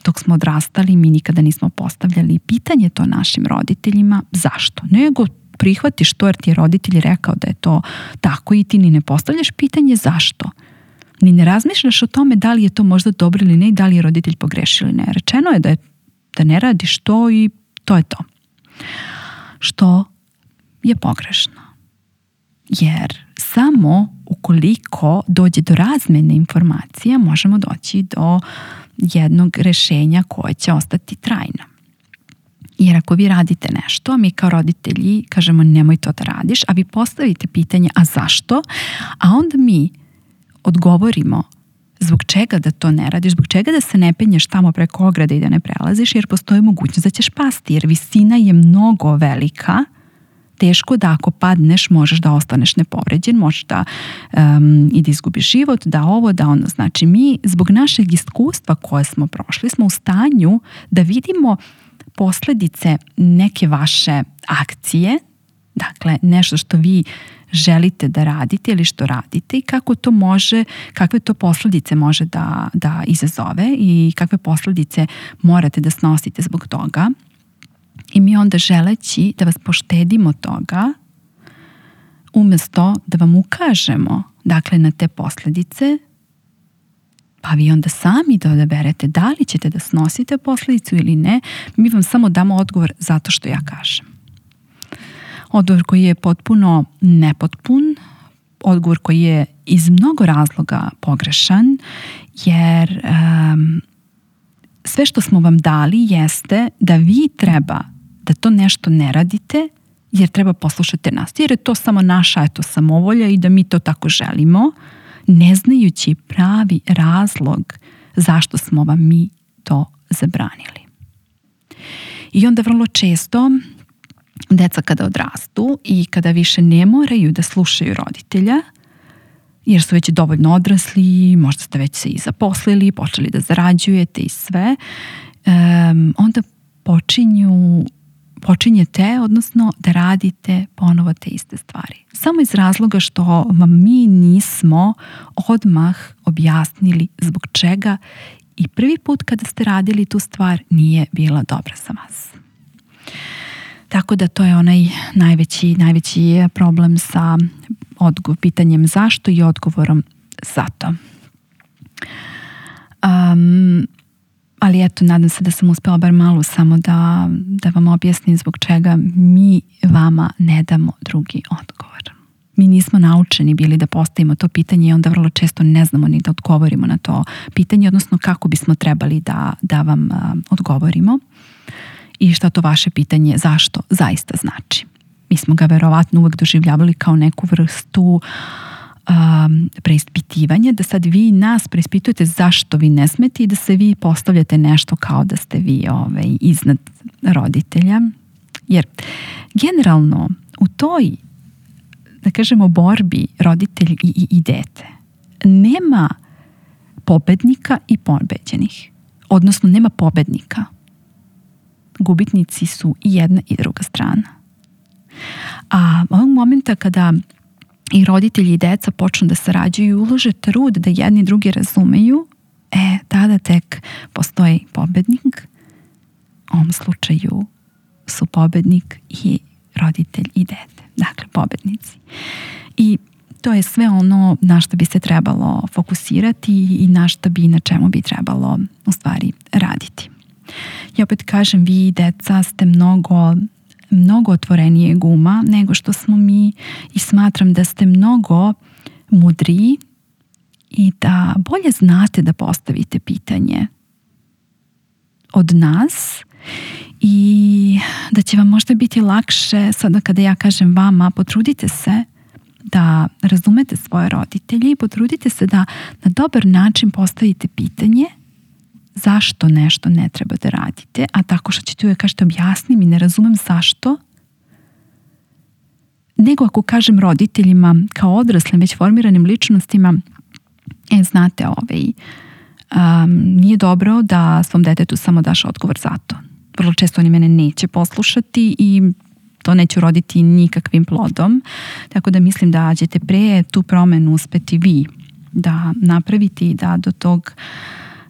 dok smo odrastali mi nikada nismo postavljali pitanje to našim roditeljima zašto, nego prihvatiš to jer ti je roditelj rekao da je to tako i ti ni ne postavljaš pitanje zašto. Ni ne razmišljaš o tome da li je to možda dobro ili ne i da li je roditelj pogrešio ili ne. Rečeno je da ne radiš to i to je to. Što je pogrešno. Jer samo ukoliko dođe do razmene informacija možemo doći do jednog rešenja koje će ostati trajno. Jer ako vi radite nešto, mi kao roditelji kažemo nemoj to da radiš, a vi postavite pitanje a zašto, a onda mi odgovorimo zbog čega da to ne radiš, zbog čega da se ne penješ tamo preko ograde i da ne prelaziš, jer postoji mogućnost da ćeš pasti, jer visina je mnogo velika, teško da ako padneš možeš da ostaneš nepovređen, možeš da i da izgubiš život, da ovo, da ono. Znači mi zbog našeg iskustva koje smo prošli smo u stanju da vidimo posledice neke vaše akcije, dakle nešto što vi želite da radite ili što radite i kako to može, kakve to posledice može da izazove i kakve posledice morate da snosite zbog toga. I mi onda želeći da vas poštedimo toga, umjesto da vam ukažemo dakle na te posledice, pa vi onda sami da odaberete da li ćete da snosite posledicu ili ne, mi vam samo damo odgovor zato što ja kažem. Odgovor koji je potpuno nepotpun, odgovor koji je iz mnogo razloga pogrešan, jer sve što smo vam dali jeste da vi treba da to nešto ne radite jer treba poslušati nas. Jer je to samo naša samovolja i da mi to tako želimo, ne znajući pravi razlog zašto smo vam mi to zabranili. I onda vrlo često deca kada odrastu i kada više ne moraju da slušaju roditelja, jer su već dovoljno odrasli, možda ste već se i zaposlili, počeli da zarađujete i sve, onda počinjete, odnosno da radite ponovo te iste stvari. Samo iz razloga što vam mi nismo odmah objasnili zbog čega i prvi put kada ste radili tu stvar nije bila dobra za vas. Tako da to je onaj najveći problem sa pitanjem zašto i odgovorom zato. Ali eto, nadam se da sam uspela bar malo samo da vam objasnim zbog čega mi vama ne damo drugi odgovor. Mi nismo naučeni bili da postavimo to pitanje i onda vrlo često ne znamo ni da odgovorimo na to pitanje, odnosno kako bismo trebali da vam odgovorimo i šta to vaše pitanje zašto zaista znači. Mi smo ga verovatno uvek doživljavali kao neku vrstu preispitivanja, da sad vi nas preispitujete zašto vi ne smete i da se vi postavljate nešto kao da ste vi iznad roditelja. Jer generalno u toj, da kažemo, borbi roditelj i dete nema pobednika i pobeđenih. Odnosno nema pobednika. Gubitnici su i jedna i druga strana. A ovog momenta kada i roditelji i deca počnu da sarađuju i ulože trud da jedni drugi razumeju, tada tek postoji pobednik. U ovom slučaju su pobednik i roditelj i dete. Dakle, pobednici. I to je sve ono na što bi se trebalo fokusirati i na čemu bi trebalo u stvari raditi. Ja opet kažem, vi deca ste mnogo otvorenijeg uma nego što smo mi i smatram da ste mnogo mudriji i da bolje znate da postavite pitanje od nas i da će vam možda biti lakše sada kada ja kažem vama potrudite se da razumete svoje roditelje i potrudite se da na dobar način postavite pitanje zašto nešto ne treba da radite, a tako što ćete uvijek kažete objasni mi, ne razumem zašto, nego ako kažem roditeljima kao odraslim, već formiranim ličnostima, znate, nije dobro da svom detetu samo daš odgovor za to. Vrlo često oni mene neće poslušati i to neće uroditi nikakvim plodom, tako da mislim da ćete pre tu promenu uspeti vi da napravite i da do tog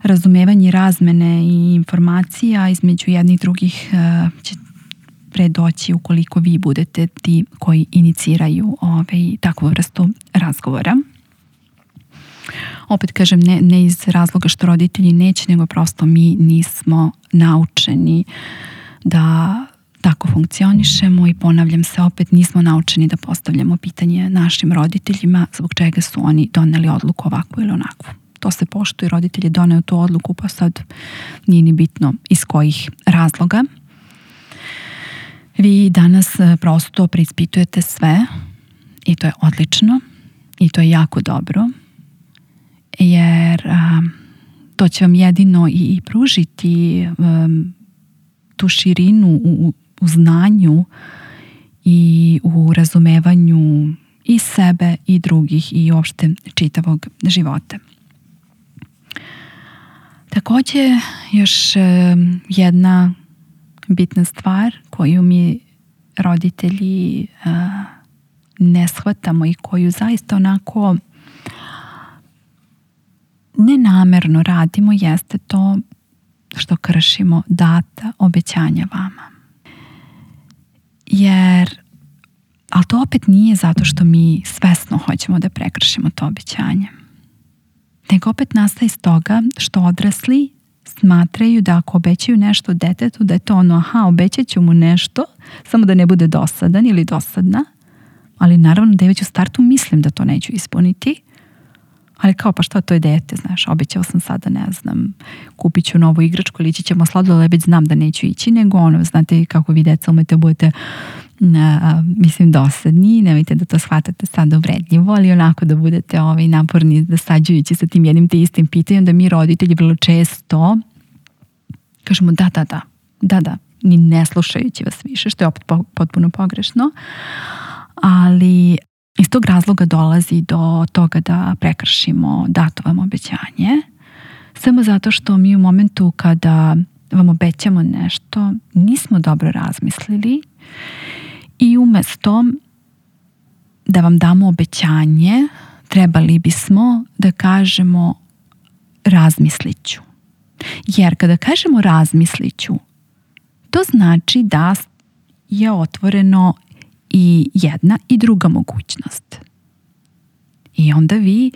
razumevanje razmene i informacija između jednih drugih će predoći ukoliko vi budete ti koji iniciraju takvu vrstu razgovora. Opet kažem, ne iz razloga što roditelji neće, nego prosto mi nismo naučeni da tako funkcionišemo i ponavljam se opet, nismo naučeni da postavljamo pitanje našim roditeljima zbog čega su oni doneli odluku ovakvu ili onakvu. To se poštuje, roditelj je doneo tu odluku, pa sad nije ni bitno iz kojih razloga. Vi danas prosto preispitujete sve i to je odlično i to je jako dobro, jer to će vam jedino i pružiti tu širinu u znanju i u razumevanju i sebe i drugih i uopšte čitavog života. Također još jedna bitna stvar koju mi roditelji ne shvatamo i koju zaista onako nenamerno radimo jeste to što kršimo data obećanja vama. Ali to opet nije zato što mi svesno hoćemo da prekršimo to obećanje. Nego opet nastaje iz toga što odrasli smatraju da ako obećaju nešto detetu, da je to ono, obećat ću mu nešto, samo da ne bude dosadan ili dosadna, ali naravno da je već u startu mislim da to neću ispuniti, ali kao pa šta, to je dete, znaš, obećao sam sada, ne znam, kupit ću novu igračku ili ići ćemo sladoled, ali već znam da neću ići, nego znate kako vi deca umete budete dosadni, nemojte da to shvatate sad uvredljivo, ali onako da budete naporni, dosađujući sa tim jednim te istim pitanjem, da mi roditelji vrlo često kažemo da, ni ne slušajući vas više, što je opet potpuno pogrešno, ali iz tog razloga dolazi do toga da prekršimo dato vam obećanje, samo zato što mi u momentu kada vam obećamo nešto nismo dobro razmislili i umjesto da vam damo obećanje trebali bismo da kažemo razmislit ću. Jer kada kažemo razmislit ću, to znači da je otvoreno i jedna i druga mogućnost. I onda vi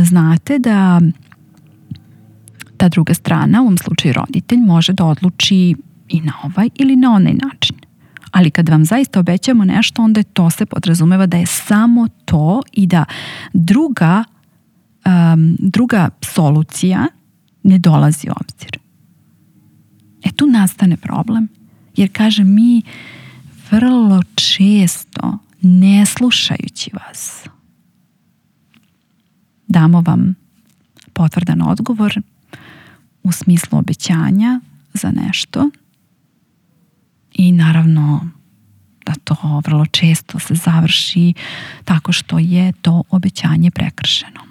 znate da ta druga strana, u ovom slučaju roditelj, može da odluči i na ovaj ili na onaj način. Ali kad vam zaista obećamo nešto, onda to se podrazumeva da je samo to i da druga solucija ne dolazi u obzir. Tu nastane problem. Jer kažem, mi vrlo često, ne slušajući vas, damo vam potvrdan odgovor u smislu obećanja za nešto i naravno da to vrlo često se završi tako što je to obećanje prekršeno.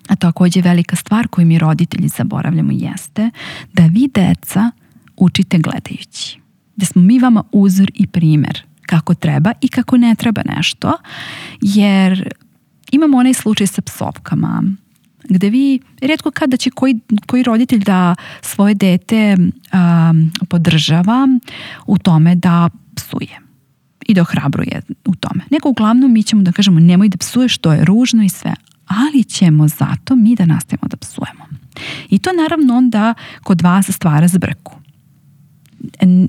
A također velika stvar koju mi roditelji zaboravljamo jeste da vi deca učite gledajući. Da smo mi vama uzor i primjer kako treba i kako ne treba nešto, jer imamo onaj slučaj sa psovkama gde vi rijetko kada će koji roditelj da svoje dete podržava u tome da psuje i da ohrabruje u tome. Nego uglavnom mi ćemo da kažemo nemoj da psuješ, to je ružno i sve, ali ćemo zato mi da nastavimo da psujemo. I to naravno onda kod vas stvara zbrku.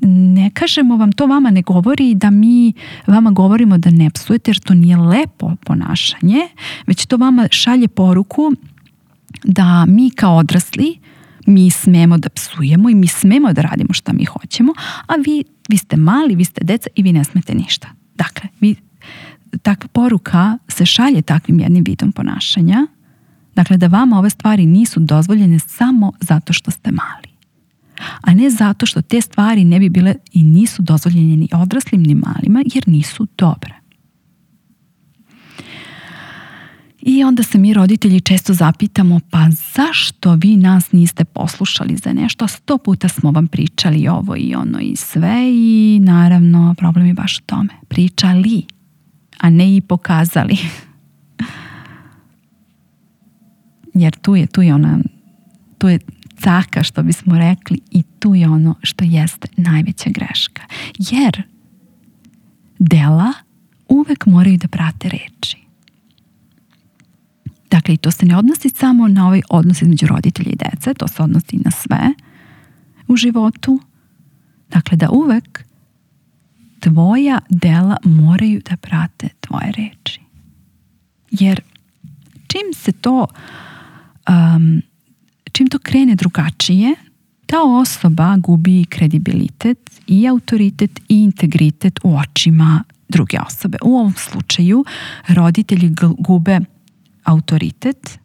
Ne kažemo vam, to vama ne govori da mi vama govorimo da ne psujete, jer to nije lepo ponašanje, već to vama šalje poruku da mi kao odrasli, mi smemo da psujemo i mi smemo da radimo šta mi hoćemo, a vi ste mali, vi ste deca i vi ne smete ništa. Dakle, takva poruka se šalje takvim jednim vidom ponašanja, dakle da vama ove stvari nisu dozvoljene samo zato što ste mali, a ne zato što te stvari ne bi bile i nisu dozvoljene ni odraslim ni malima, jer nisu dobre. I onda se mi roditelji često zapitamo, pa zašto vi nas niste poslušali za nešto? 100 puta smo vam pričali ovo i ono i sve, i naravno problem je baš u tome. Pričali, a ne i pokazali. Jer tu je caka, što bismo rekli, i tu je ono što jeste najveća greška. Jer dela uvek moraju da prate reči. Dakle, i to se ne odnosi samo na ovaj odnos između roditelja i dece, to se odnosi na sve u životu. Dakle, da uvek tvoja dela moraju da prate tvoje reči. Jer čim to krene drugačije, ta osoba gubi kredibilitet i autoritet i integritet u očima druge osobe. U ovom slučaju roditelji gube autoritet,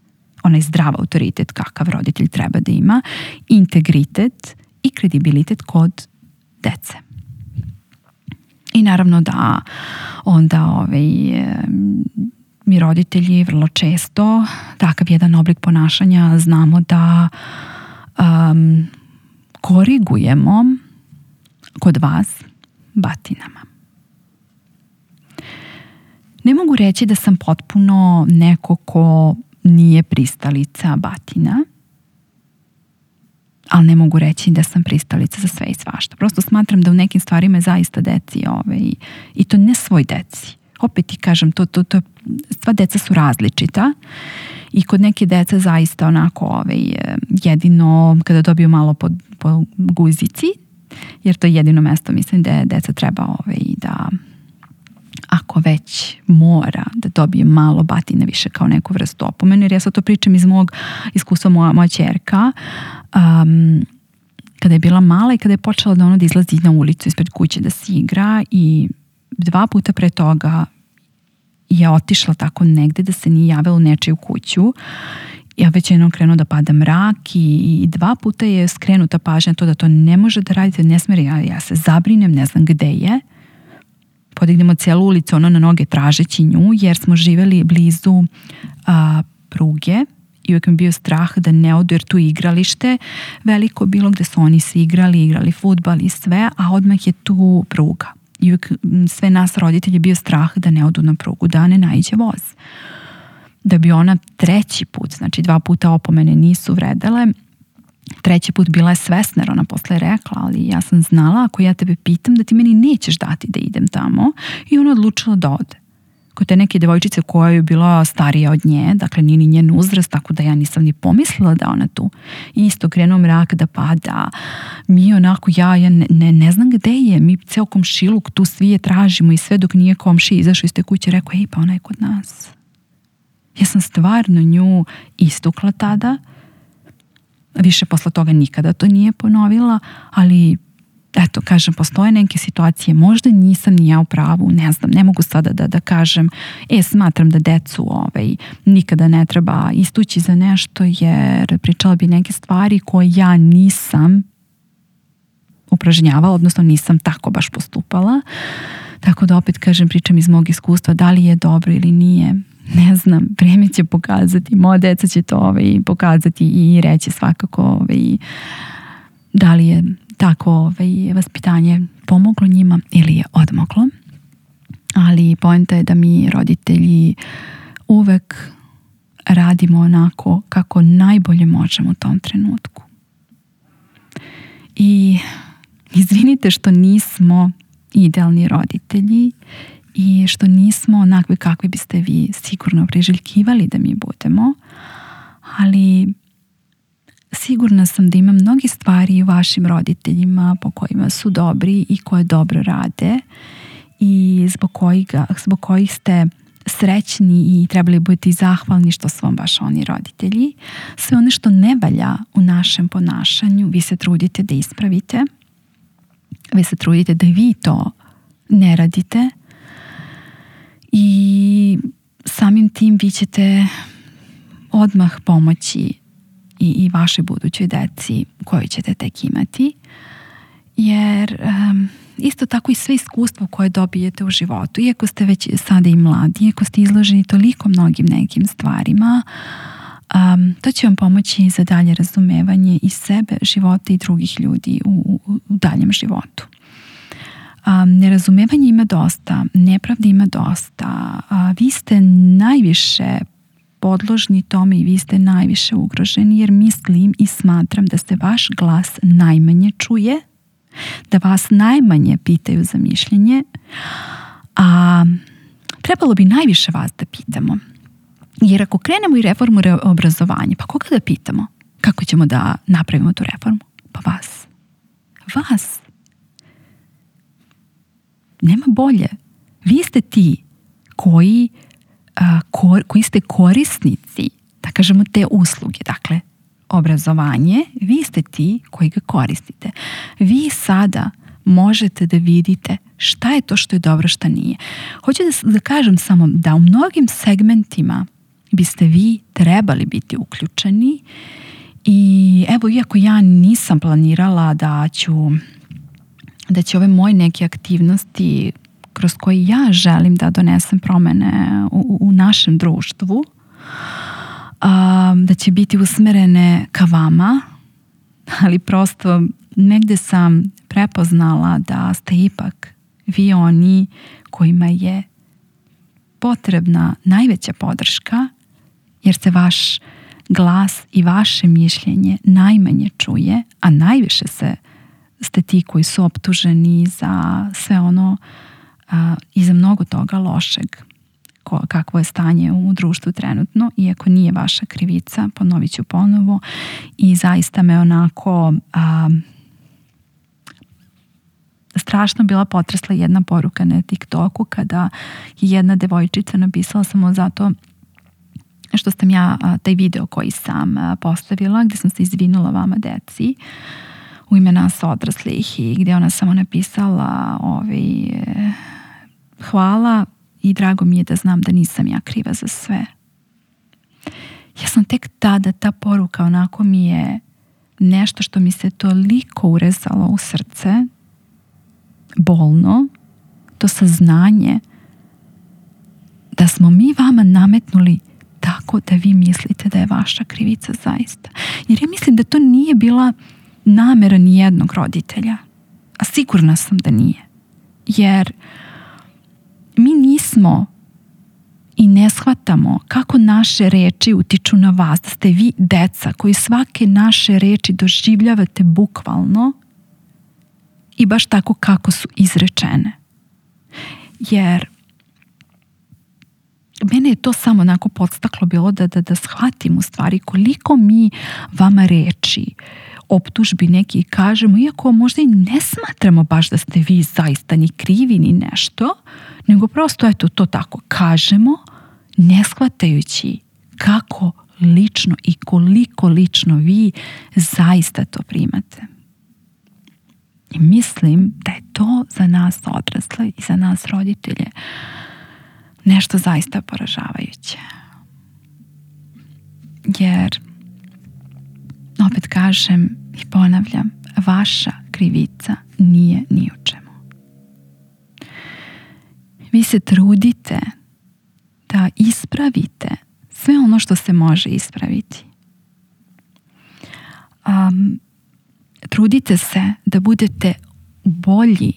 onaj zdrav autoritet kakav roditelj treba da ima, integritet i kredibilitet kod dece. I naravno da onda mi roditelji vrlo često takav jedan oblik ponašanja znamo da korigujemo kod vas batinama. Ne mogu reći da sam potpuno neko ko nije pristalica batina, ali ne mogu reći da sam pristalica za sve i svašta. Prosto smatram da u nekim stvarima je zaista deci i to ne svoj deci. Opet ti kažem, sva deca su različita i kod neke dece zaista onako jedino kada dobiju malo po guzici, jer to je jedino mesto, mislim da deca treba da ako već mora da dobije malo batine više kao neku vrstu opomene, jer ja sad to pričam iz mog iskustva. Moja ćerka kada je bila mala i kada je počela da izlazi na ulicu ispred kuće da se igra i 2 puta pre toga je otišla tako negde da se nije javila u nečiju kuću. Ja već jednom krenuo da pada mrak i 2 puta je skrenuta pažnja to da to ne može da radite, ne smije, ja se zabrinem, ne znam gde je. Podignemo cijelu ulicu na noge tražeći nju, jer smo živjeli blizu pruge i uvijek mi bio strah da ne odu, jer tu igralište veliko bilo gde su oni se igrali fudbal i sve, a odmah je tu pruga. I uvijek sve nas roditelji bio strah da ne odu na prugu, da ne naiđe voz. Da bi ona 3. put, znači 2 puta opomene nisu vredele, 3. put bila je svesna, jer ona posle rekla, ali ja sam znala ako ja tebe pitam da ti meni nećeš dati da idem tamo, i ona odlučila da ode. Kod te neke devojčice koja je bila starija od nje, dakle nije ni njen uzrast, tako da ja nisam ni pomislila da ona tu. I isto krenuo mrak da pada, mi onako ja ne znam gde je, mi ceo komšiluk tu svi je tražimo i sve dok nije komši izašao iz te kuće, rekao, pa ona je kod nas. Ja sam stvarno nju istukla tada, više posle toga nikada to nije ponovila, ali eto, kažem, postoje neke situacije, možda nisam ni ja u pravu, ne znam, ne mogu sada da kažem, smatram da decu nikada ne treba istući za nešto, jer pričala bi neke stvari koje ja nisam upražnjavala, odnosno nisam tako baš postupala, tako da opet kažem, pričam iz mog iskustva, da li je dobro ili nije, ne znam, vrijeme će pokazati, moja deca će to pokazati i reći svakako da li je tako vaspitanje pomoglo njima ili je odmoglo. Ali poenta je da mi roditelji uvek radimo onako kako najbolje možemo u tom trenutku. I izvinite što nismo idealni roditelji i što nismo onakvi kakvi biste vi sigurno priželjkivali da mi budemo, ali sigurna sam da ima mnogi stvari u vašim roditeljima po kojima su dobri i koje dobro rade i zbog kojih ste srećni i trebali budete zahvalni što su vam baš oni roditelji. Sve ono što ne valja u našem ponašanju vi se trudite da ispravite, vi se trudite da vi to ne radite i samim tim vi ćete odmah pomoći i vašoj budućoj deci koju ćete tek imati, jer isto tako i sve iskustvo koje dobijete u životu, iako ste već sada i mladi, iako ste izloženi toliko mnogim nekim stvarima, to će vam pomoći za dalje razumevanje i sebe, života i drugih ljudi u daljem životu. Nerazumevanje ima dosta, nepravde ima dosta, vi ste najviše podložni tome i vi ste najviše ugroženi, jer mislim i smatram da se vaš glas najmanje čuje, da vas najmanje pitaju za mišljenje, a trebalo bi najviše vas da pitamo. Jer ako krenemo i reformu obrazovanja, pa koga da pitamo? Kako ćemo da napravimo tu reformu? Pa vas. Vas. nema bolje. Vi ste ti koji ste korisnici, da kažemo, te usluge. Dakle, obrazovanje, vi ste ti koji ga koristite. Vi sada možete da vidite šta je to što je dobro, šta nije. Hoću da kažem samo da u mnogim segmentima biste vi trebali biti uključeni i evo, iako ja nisam planirala da će ove moje neke aktivnosti kroz koje ja želim da donesem promene u našem društvu, da će biti usmerene ka vama, ali prosto negde sam prepoznala da ste ipak vi oni kojima je potrebna najveća podrška, jer se vaš glas i vaše mišljenje najmanje čuje, a najviše ste ti koji su optuženi za sve ono i za mnogo toga lošeg kakvo je stanje u društvu trenutno, iako nije vaša krivica, ponovit ću ponovo. I zaista me onako strašno bila potresla jedna poruka na TikToku kada je jedna devojčica napisala samo zato što sam ja taj video koji sam postavila, gdje sam se izvinula vama deci u ime nas odraslih i gdje ona samo napisala hvala i drago mi je da znam da nisam ja kriva za sve. Ja sam tek tada, ta poruka onako mi je nešto što mi se toliko urezalo u srce, bolno, to saznanje da smo mi vama nametnuli tako da vi mislite da je vaša krivica zaista. Jer ja mislim da to nije bila namera ni jednog roditelja. A sigurna sam da nije. Jer mi nismo i ne shvatamo kako naše reči utiču na vas, da ste vi deca koji svake naše reči doživljavate bukvalno i baš tako kako su izrečene. Jer mene je to samo onako podstaklo bilo da shvatim u stvari koliko mi vama reči, optužbi neki kažemo, iako možda i ne smatramo baš da ste vi zaista ni krivi ni nešto, nego prosto eto to tako kažemo, ne shvatajući kako lično i koliko lično vi zaista to primate. I mislim da je to za nas odrasle i za nas roditelje nešto zaista poražavajuće. Jer, opet kažem i ponavljam, vaša krivica nije ni u čemu. Vi se trudite da ispravite sve ono što se može ispraviti. Trudite se da budete bolji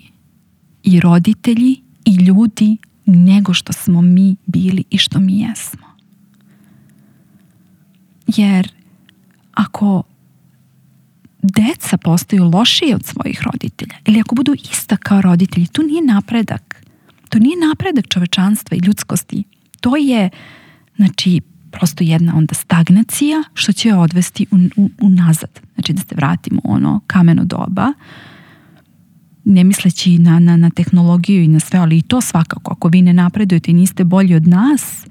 i roditelji i ljudi nego što smo mi bili i što mi jesmo. Jer ako deca postaju lošije od svojih roditelja ili ako budu ista kao roditelji, to nije napredak. To nije napredak čovečanstva i ljudskosti. To je, znači, prosto jedna onda stagnacija što će odvesti unazad. Znači da se vratimo u ono kameno doba, ne misleći na tehnologiju i na sve, ali i to svakako. Ako vi ne napredujete i niste bolji od nas,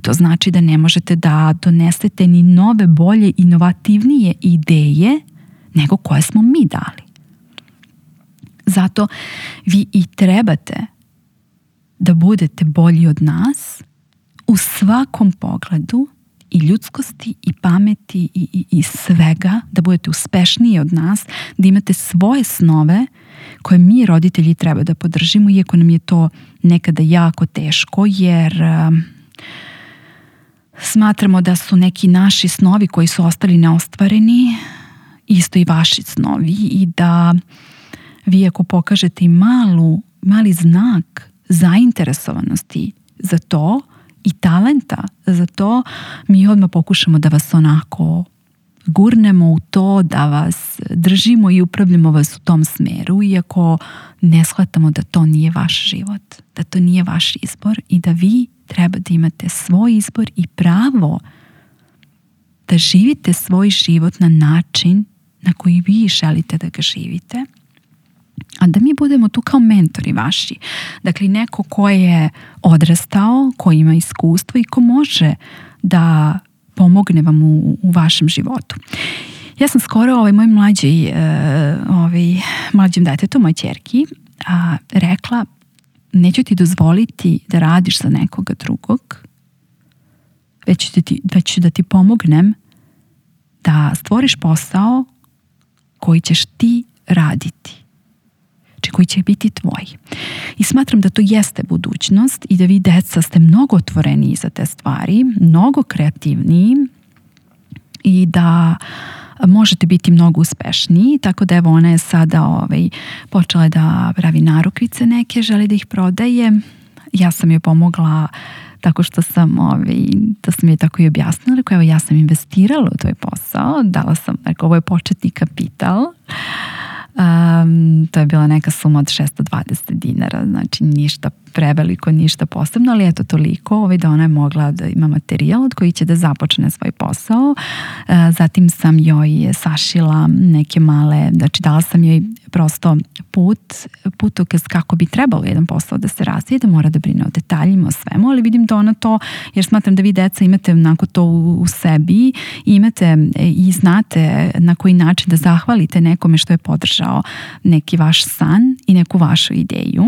to znači da ne možete da donesete ni nove, bolje, inovativnije ideje nego koje smo mi dali. Zato vi i trebate da budete bolji od nas u svakom pogledu i ljudskosti i pameti i svega, da budete uspešniji od nas, da imate svoje snove koje mi roditelji treba da podržimo, iako nam je to nekada jako teško, jer smatramo da su neki naši snovi koji su ostali neostvareni isto i vaši snovi i da vi ako pokažete i mali znak zainteresovanosti za to i talenta za to, mi odmah pokušamo da vas onako gurnemo u to, da vas držimo i upravljamo vas u tom smeru, iako ne shvatamo da to nije vaš život, da to nije vaš izbor i da vi treba da imate svoj izbor i pravo da živite svoj život na način na koji vi želite da ga živite a da mi budemo tu kao mentori vaši. Dakle, neko ko je odrastao, ko ima iskustvo i ko može da pomogne vam u vašem životu. Ja sam skoro moj mlađem detetu, moj ćerki, rekla, neću ti dozvoliti da radiš za nekoga drugog, već ću da ti pomognem da stvoriš posao koji ćeš ti raditi. Znači koji će biti tvoj. I smatram da to jeste budućnost i da vi deca ste mnogo otvoreniji za te stvari, mnogo kreativniji i da možete biti mnogo uspešniji, tako da evo ona je sada počela da pravi narukvice neke, želi da ih prodaje. Ja sam joj pomogla tako što sam, to sam joj tako i objasnila, rekao, evo ja sam investirala u tvoj posao, dala sam, rekao, ovo je početni kapital. To je bila neka suma od $620, znači ništa preveliko, ništa posebno, ali eto toliko da ona je mogla da ima materijal od koji će da započne svoj posao. Zatim sam joj sašila neke male, znači dala sam joj prosto putokaz kako bi trebalo jedan posao da se razvije, da mora da brine o detaljima, o svemu, ali vidim da ona to, jer smatram da vi deca imate onako to u sebi, imate i znate na koji način da zahvalite nekome što je podržao neki vaš san i neku vašu ideju.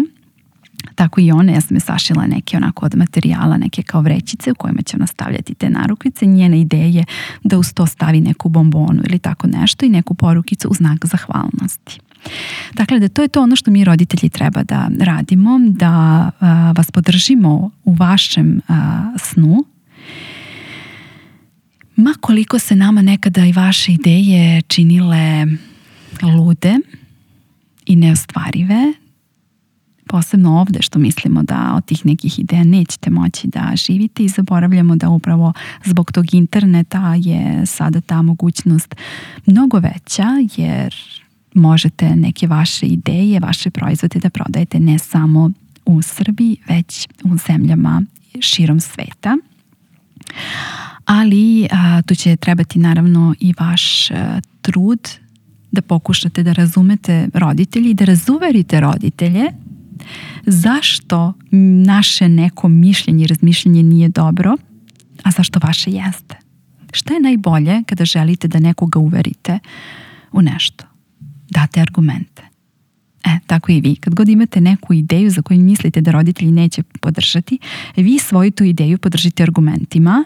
Tako i ona, ja sam je sašila neke onako od materijala, neke kao vrećice u kojima će ona stavljati te narukvice. Njena ideja je da uz to stavi neku bombonu ili tako nešto i neku porukicu u znak zahvalnosti. Dakle, da to je to ono što mi roditelji treba da radimo, da vas podržimo u vašem snu. Ma koliko se nama nekada i vaše ideje činile lude i neostvarive, posebno ovde što mislimo da od tih nekih ideja nećete moći da živite i zaboravljamo da upravo zbog tog interneta je sada ta mogućnost mnogo veća, jer možete neke vaše ideje, vaše proizvode da prodajete ne samo u Srbiji, već u zemljama širom sveta. Ali tu će trebati naravno i vaš trud da pokušate da razumete roditelji i da razuverite roditelje zašto naše neko mišljenje i razmišljanje nije dobro, a zašto vaše jeste. Šta je najbolje kada želite da nekoga uverite u nešto? Date argumente. Tako i vi. Kad god imate neku ideju za koju mislite da roditelji neće podržati, vi svoju tu ideju podržite argumentima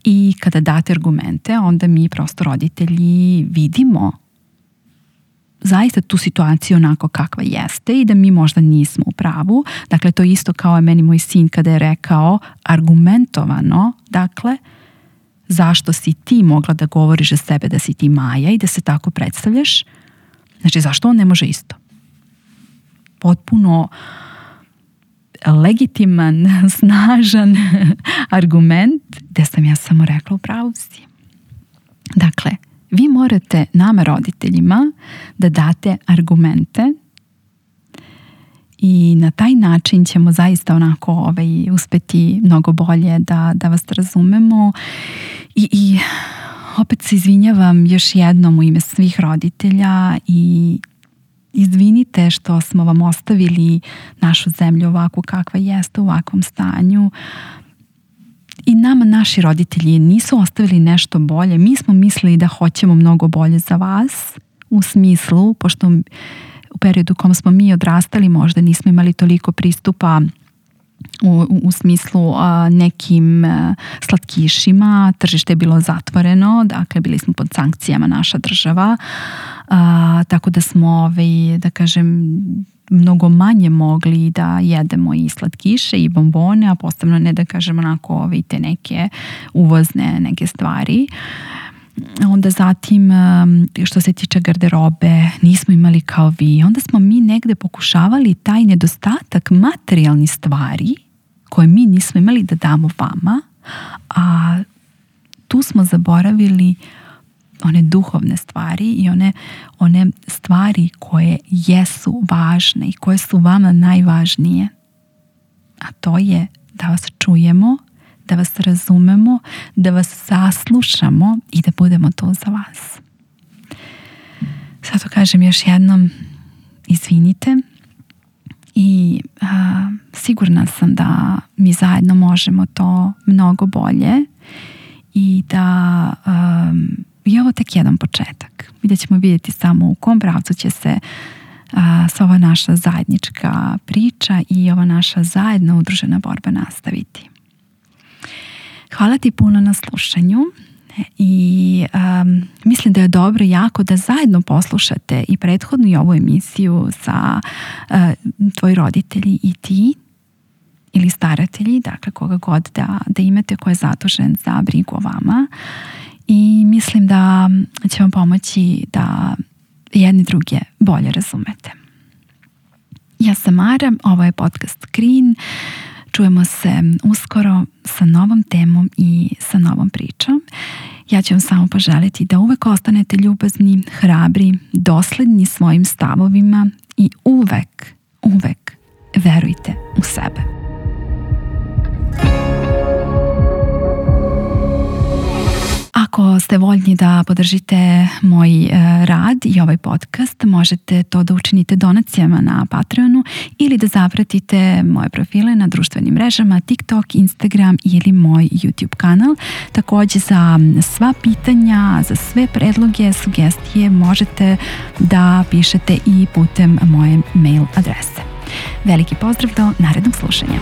i kada date argumente, onda mi prosto roditelji vidimo zaista tu situaciju onako kakva jeste i da mi možda nismo u pravu. Dakle, to isto kao je meni moj sin kada je rekao argumentovano, dakle, zašto si ti mogla da govoriš za sebe da si ti Maja i da se tako predstavljaš? Znači, zašto on ne može isto? Potpuno legitiman, snažan argument gde sam ja samo rekla u pravu si. Dakle, vi morate nama roditeljima da date argumente i na taj način ćemo zaista onako uspeti mnogo bolje da vas razumemo i opet se izvinjavam još jednom u ime svih roditelja i izvinite što smo vam ostavili našu zemlju ovako kakva jeste, u ovakvom stanju. I nama naši roditelji nisu ostavili nešto bolje. Mi smo mislili da hoćemo mnogo bolje za vas, u smislu, pošto u periodu u kom smo mi odrastali možda nismo imali toliko pristupa u smislu nekim slatkišima, tržište je bilo zatvoreno, dakle bili smo pod sankcijama naša država, tako da smo, da kažem, mnogo manje mogli da jedemo i slatkiše i bombone, a posebno ne da kažem onako te neke uvozne neke stvari. Onda zatim što se tiče garderobe nismo imali kao vi. Onda smo mi negde pokušavali taj nedostatak materijalnih stvari koje mi nismo imali da damo vama, a tu smo zaboravili one duhovne stvari i one stvari koje jesu važne i koje su vama najvažnije. A to je da vas čujemo, da vas razumemo, da vas saslušamo i da budemo tu za vas. Sad to kažem još jednom, izvinite i sigurna sam da mi zajedno možemo to mnogo bolje i da je ovo tek jedan početak i da ćemo vidjeti samo u kom pravcu će se sva ova naša zajednička priča i ova naša zajedno udružena borba nastaviti. Hvala ti puno na slušanju i mislim da je dobro jako da zajedno poslušate i prethodnu i ovu emisiju sa tvoji roditelji i ti ili staratelji, dakle koga god da imate ko je zadužen za brigu o vama, i mislim da će vam pomoći da jedni druge bolje razumete. Ja sam Mara, ovo je podcast Green. Čujemo se uskoro sa novom temom i sa novom pričom. Ja ću vam samo poželiti da uvek ostanete ljubazni, hrabri, dosledni svojim stavovima i uvek verujte u sebe. Ako ste voljni da podržite moj rad i ovaj podcast, možete to da učinite donacijama na Patreonu ili da zapratite moje profile na društvenim mrežama TikTok, Instagram ili moj YouTube kanal. Također za sva pitanja, za sve predloge, sugestije možete da pišete i putem moje mail adrese. Veliki pozdrav do narednog slušanja.